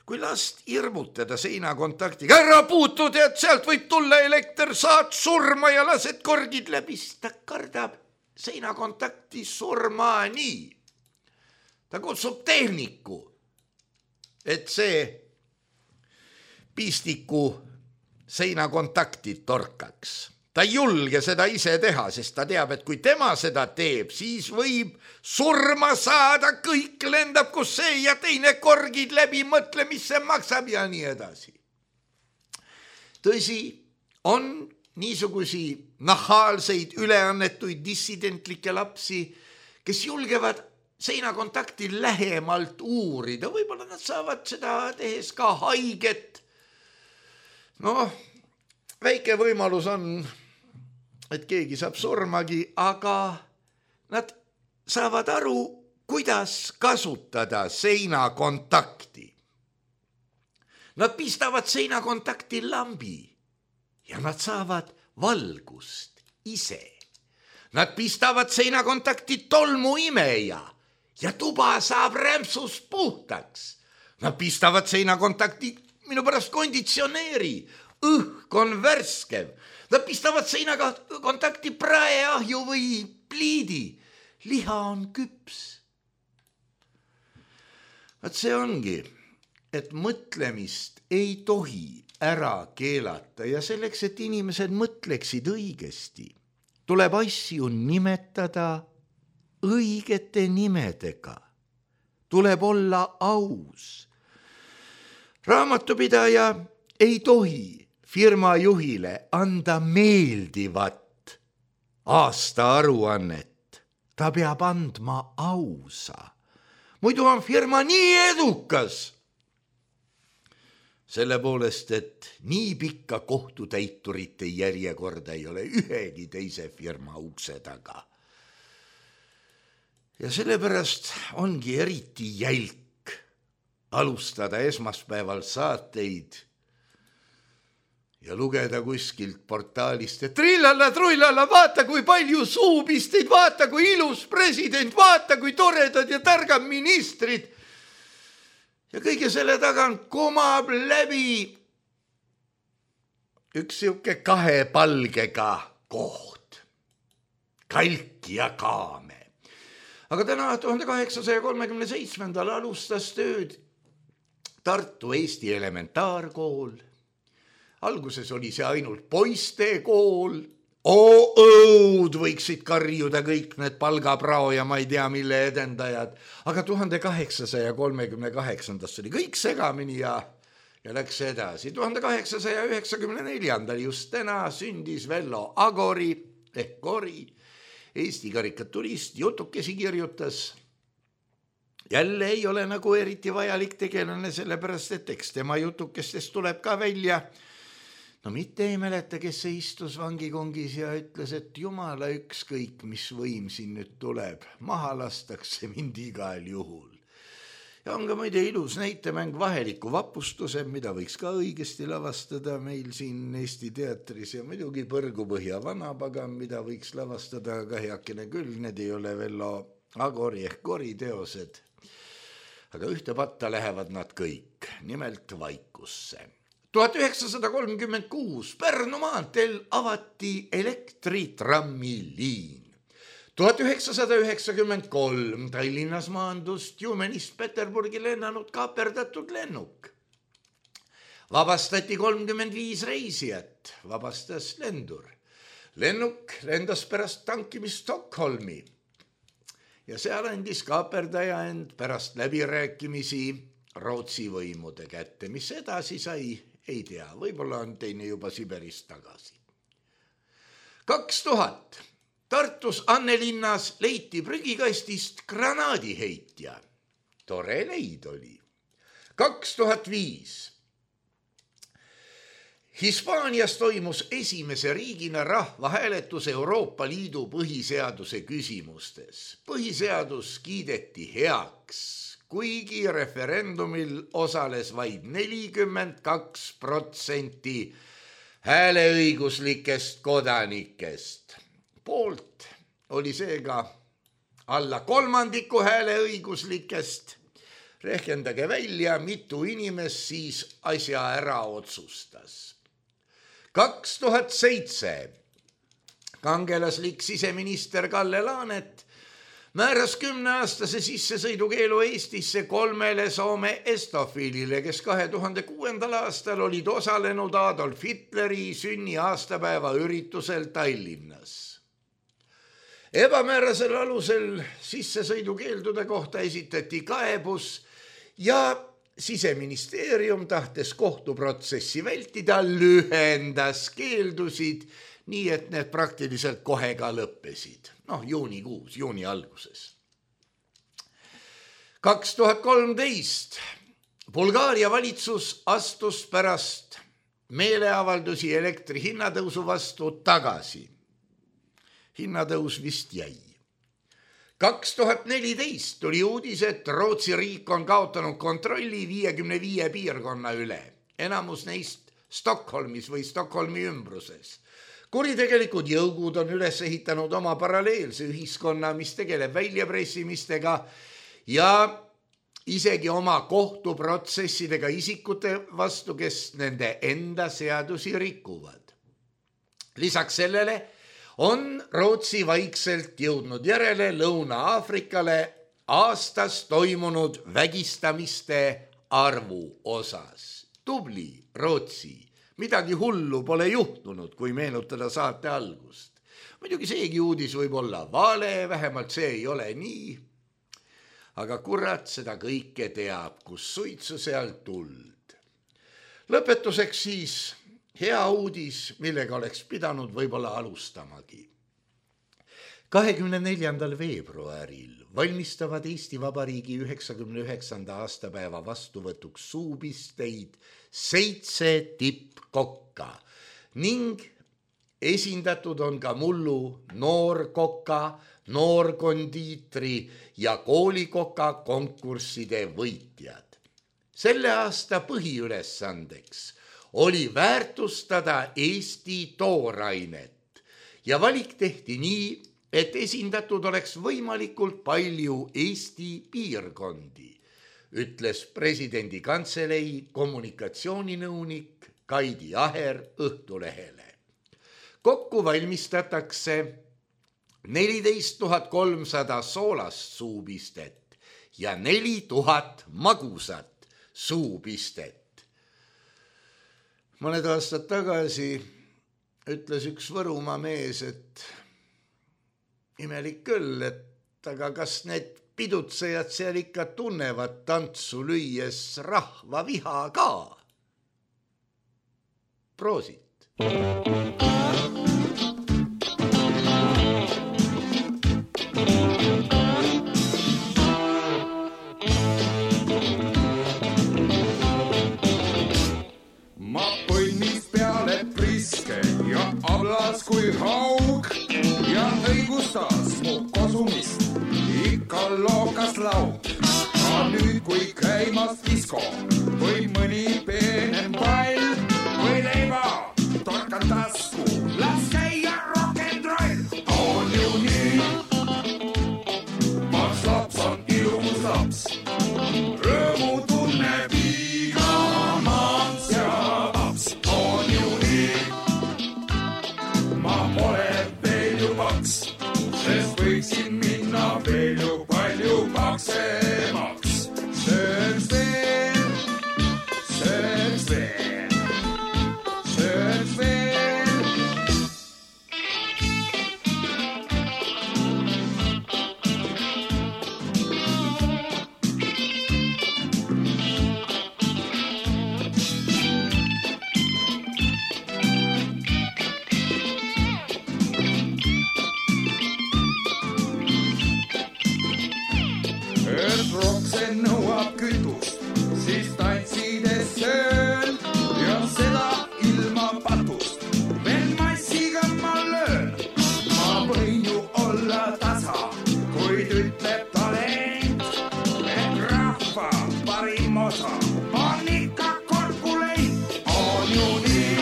kui last hirmutada seinakontaktiga, ära puutu, tead, sealt võib tulla elekter, saad surma ja lased korgid läbi, ta kardab seinakontakti surmani. Ta kutsub tehniku, et see pistiku seinakontakti torkaks. Ta ei julge seda ise teha, sest ta teab, et kui tema seda teeb, siis võib surma saada, kõik lendab kus see ja teine korgid läbi, mõtle, mis see maksab ja nii edasi. Tõsi, on niisugusi nahaalseid üleannetuid dissidentlikke lapsi, kes julgevad seinakontakti lähemalt uurida, võib-olla nad saavad seda tehes ka haiget. No, väike võimalus on, et keegi saab surmagi, aga nad saavad aru, kuidas kasutada seinakontakti. Nad pistavad seinakontakti lambi ja nad saavad valgust ise. Nad pistavad seinakontakti tolmu imeja ja tuba saab rämpsus puhtaks. Nad pistavad seinakontakti minu pärast konditsioneeri, õhk on värskev. Nad pistavad seinakontakti praeahju või pliidi. Liha on küps. Vaat see ongi, et mõtlemist ei tohi ära keelata ja selleks, et inimesed mõtleksid õigesti, tuleb asju nimetada õigete nimedega. Tuleb olla aus. Raamatupidaja ei tohi firma juhile anda meeldivat aastaaruannet. Ta peab andma ausa. Muidu on firma nii edukas. Selle poolest, et nii pikka kohtutäiturite järjekorda ei ole ühegi teise firma ukse taga. Ja sellepärast ongi eriti jälk alustada esmaspäeval saateid ja lugeda kuskilt portaalist, et trillalla, trullalla, vaata kui palju suupisteid, vaata kui ilus president, vaata kui toredad ja targad ministrid. Ja kõige selle taga kumab läbi üks siuke kahe palgega koht, kalk ja kaame. Aga täna tuhande kaheksasaja kolmekümne seitsmendal alustas tööd Tartu Eesti elementaarkool. Alguses oli see ainult poiste kool. Oo-õud võiksid karjuda kõik need palgaprao ja ma ei tea, mille edendajad. Aga tuhande kaheksasaja kolmekümne kaheksandast oli kõik segamini ja, ja läks edasi. tuhande kaheksasaja üheksakümne neljandal just täna sündis Vello Agori ehk Kori, Eesti karikaturist, jutukesi kirjutas. Jälle ei ole nagu eriti vajalik tegelane, sellepärast et eks tema jutukestest tuleb ka välja. No mitte ei mäleta, kes see istus vangikongis ja ütles, et jumala ükskõik, mis võim siin nüüd tuleb. Maha lastakse mind igal juhul. Ja on ka muide ilus näitemäng Vaheliku vapustuse, mida võiks ka õigesti lavastada meil siin Eesti teatris ja muidugi Põrgupõhja vanapagam, mida võiks lavastada ka heakene küll, need ei ole Vello Agori ehk Kori teosed. Aga ühte patta lähevad nad kõik, nimelt vaikusse. tuhat üheksasada kolmkümmend kuus Pärnu maanteel avati elektritrammiliin. tuhat üheksasada üheksakümmend kolm Tallinnas maandus Tjumenist Peterburgi lennanud kaaperdatud lennuk. Vabastati kolmkümmend viis reisijat, vabastas lendur. Lennuk lendas pärast tankimist Stockholmi ja seal andis kaaperdaja end pärast läbirääkimisi Rootsi võimude kätte, mis edasi sai, ei tea, võib-olla on teine juba Siberist tagasi. kaks tuhat Tartus Annelinnas leiti prügikastist granaadiheitja. Tore leid oli. kaks tuhat viis Hispaanias toimus esimese riigina rahvahääletus Euroopa Liidu põhiseaduse küsimustes. Põhiseadus kiideti heaks, kuigi referendumil osales vaid nelikümmend kaks protsenti hääleõiguslikest kodanikest. Poolt oli seega alla kolmandiku hääleõiguslikest. Rehkendage välja, mitu inimest siis asja ära otsustas. kaks tuhat seitse kangelaslik siseminister Kalle Laanet määras kümneaastase sissesõidukeelu Eestisse kolmele Soome estofiilile, kes kahe tuhande kuuendal aastal olid osalenud Adolf Hitleri sünni aastapäeva üritusel Tallinnas. Ebamäärasel alusel sissesõidukeeldude kohta esitati kaebus ja Siseministeerium tahtes kohtuprotsessi vältida, lühendas keeldusid, nii et need praktiliselt kohe ka lõppesid. Noh, juunikuus, juuni alguses. kaks tuhat kolmteist Bulgaaria valitsus astus pärast meeleavaldusi elektri hinnatõusu vastu tagasi. Hinnatõus vist jäi. kaks tuhat neliteist tuli uudis, et Rootsi riik on kaotanud kontrolli viiekümne viie piirkonna üle, enamus neist Stockholmis või Stockholmi ümbruses. Kuritegelikud jõugud on üles ehitanud oma paralleelse ühiskonna, mis tegeleb väljapressimistega ja isegi oma kohtuprotsessidega isikute vastu, kes nende enda seadusi rikuvad. Lisaks sellele on Rootsi vaikselt jõudnud järele Lõuna-Aafrikale aastas toimunud vägistamiste arvu osas. Tubli Rootsi, midagi hullu pole juhtunud, kui meenutada saate algust. Muidugi seegi uudis võib olla vale, vähemalt see ei ole nii. Aga kurat seda kõike teab, kus suitsu seal tuld. Lõpetuseks siis hea uudis, millega oleks pidanud võib-olla alustamagi. kahekümne neljandal veebruaril valmistavad Eesti Vabariigi üheksakümne üheksanda aastapäeva vastuvõtuks suupisteid seitse tippkokka ning esindatud on ka mullu noorkoka, noorkondiitri ja koolikoka konkursside võitjad. Selle aasta põhiülesandeks oli väärtustada Eesti toorainet ja valik tehti nii, et esindatud oleks võimalikult palju Eesti piirkondi, ütles presidendi kantselei kommunikatsiooninõunik Kaidi Aher Õhtulehele. Kokku valmistatakse neliteist tuhat kolmsada soolast suupistet ja neli tuhat magusat suupistet. Mõned aastad tagasi ütles üks Võrumaa mees, et imelik küll, et aga kas need pidutsejad seal ikka tunnevad tantsu lüües rahva viha ka? Proosit! Kui haug ja õigustas mu kosumist, ikka lookas lauk. Aga nüüd, kui käimas disko või mõni peenem pall või leiba, torkan tasku, las käia rock and roll. On ju nii, maks laps on ilus laps, rõõmu tunneb iga maks ja paps. On ju nii, ma pole veel ju paks, sest võiksin minna veel ju palju paksemaks. Sööks veel, sööks veel, sööks veel. Rokse nõuab kütust, siis tantsides söön ja seda ilma patust. Veel massiga ma löön, ma võin ju olla tasa, kuid ütleb talent, et rahva parim osa on ikka korpulent. On ju nii,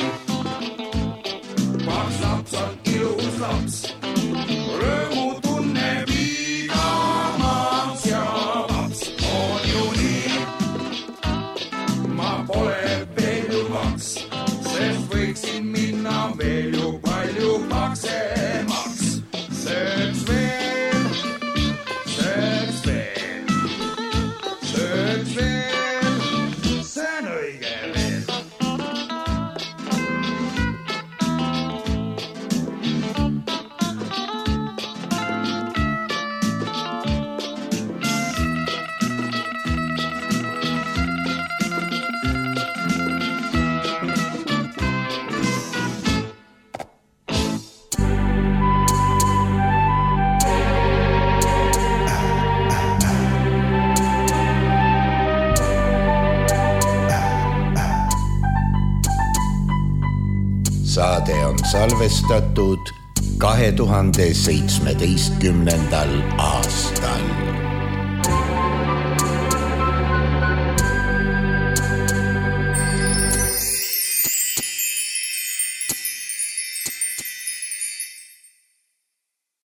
paks laps on ilus laps, rõõmu tunneb iga maks ja pole veel ju maks, sest võiksin minna veel ju palju paksemaks. Sööks veel, saade on salvestatud kahe tuhande seitsmeteistkümnendal aastal.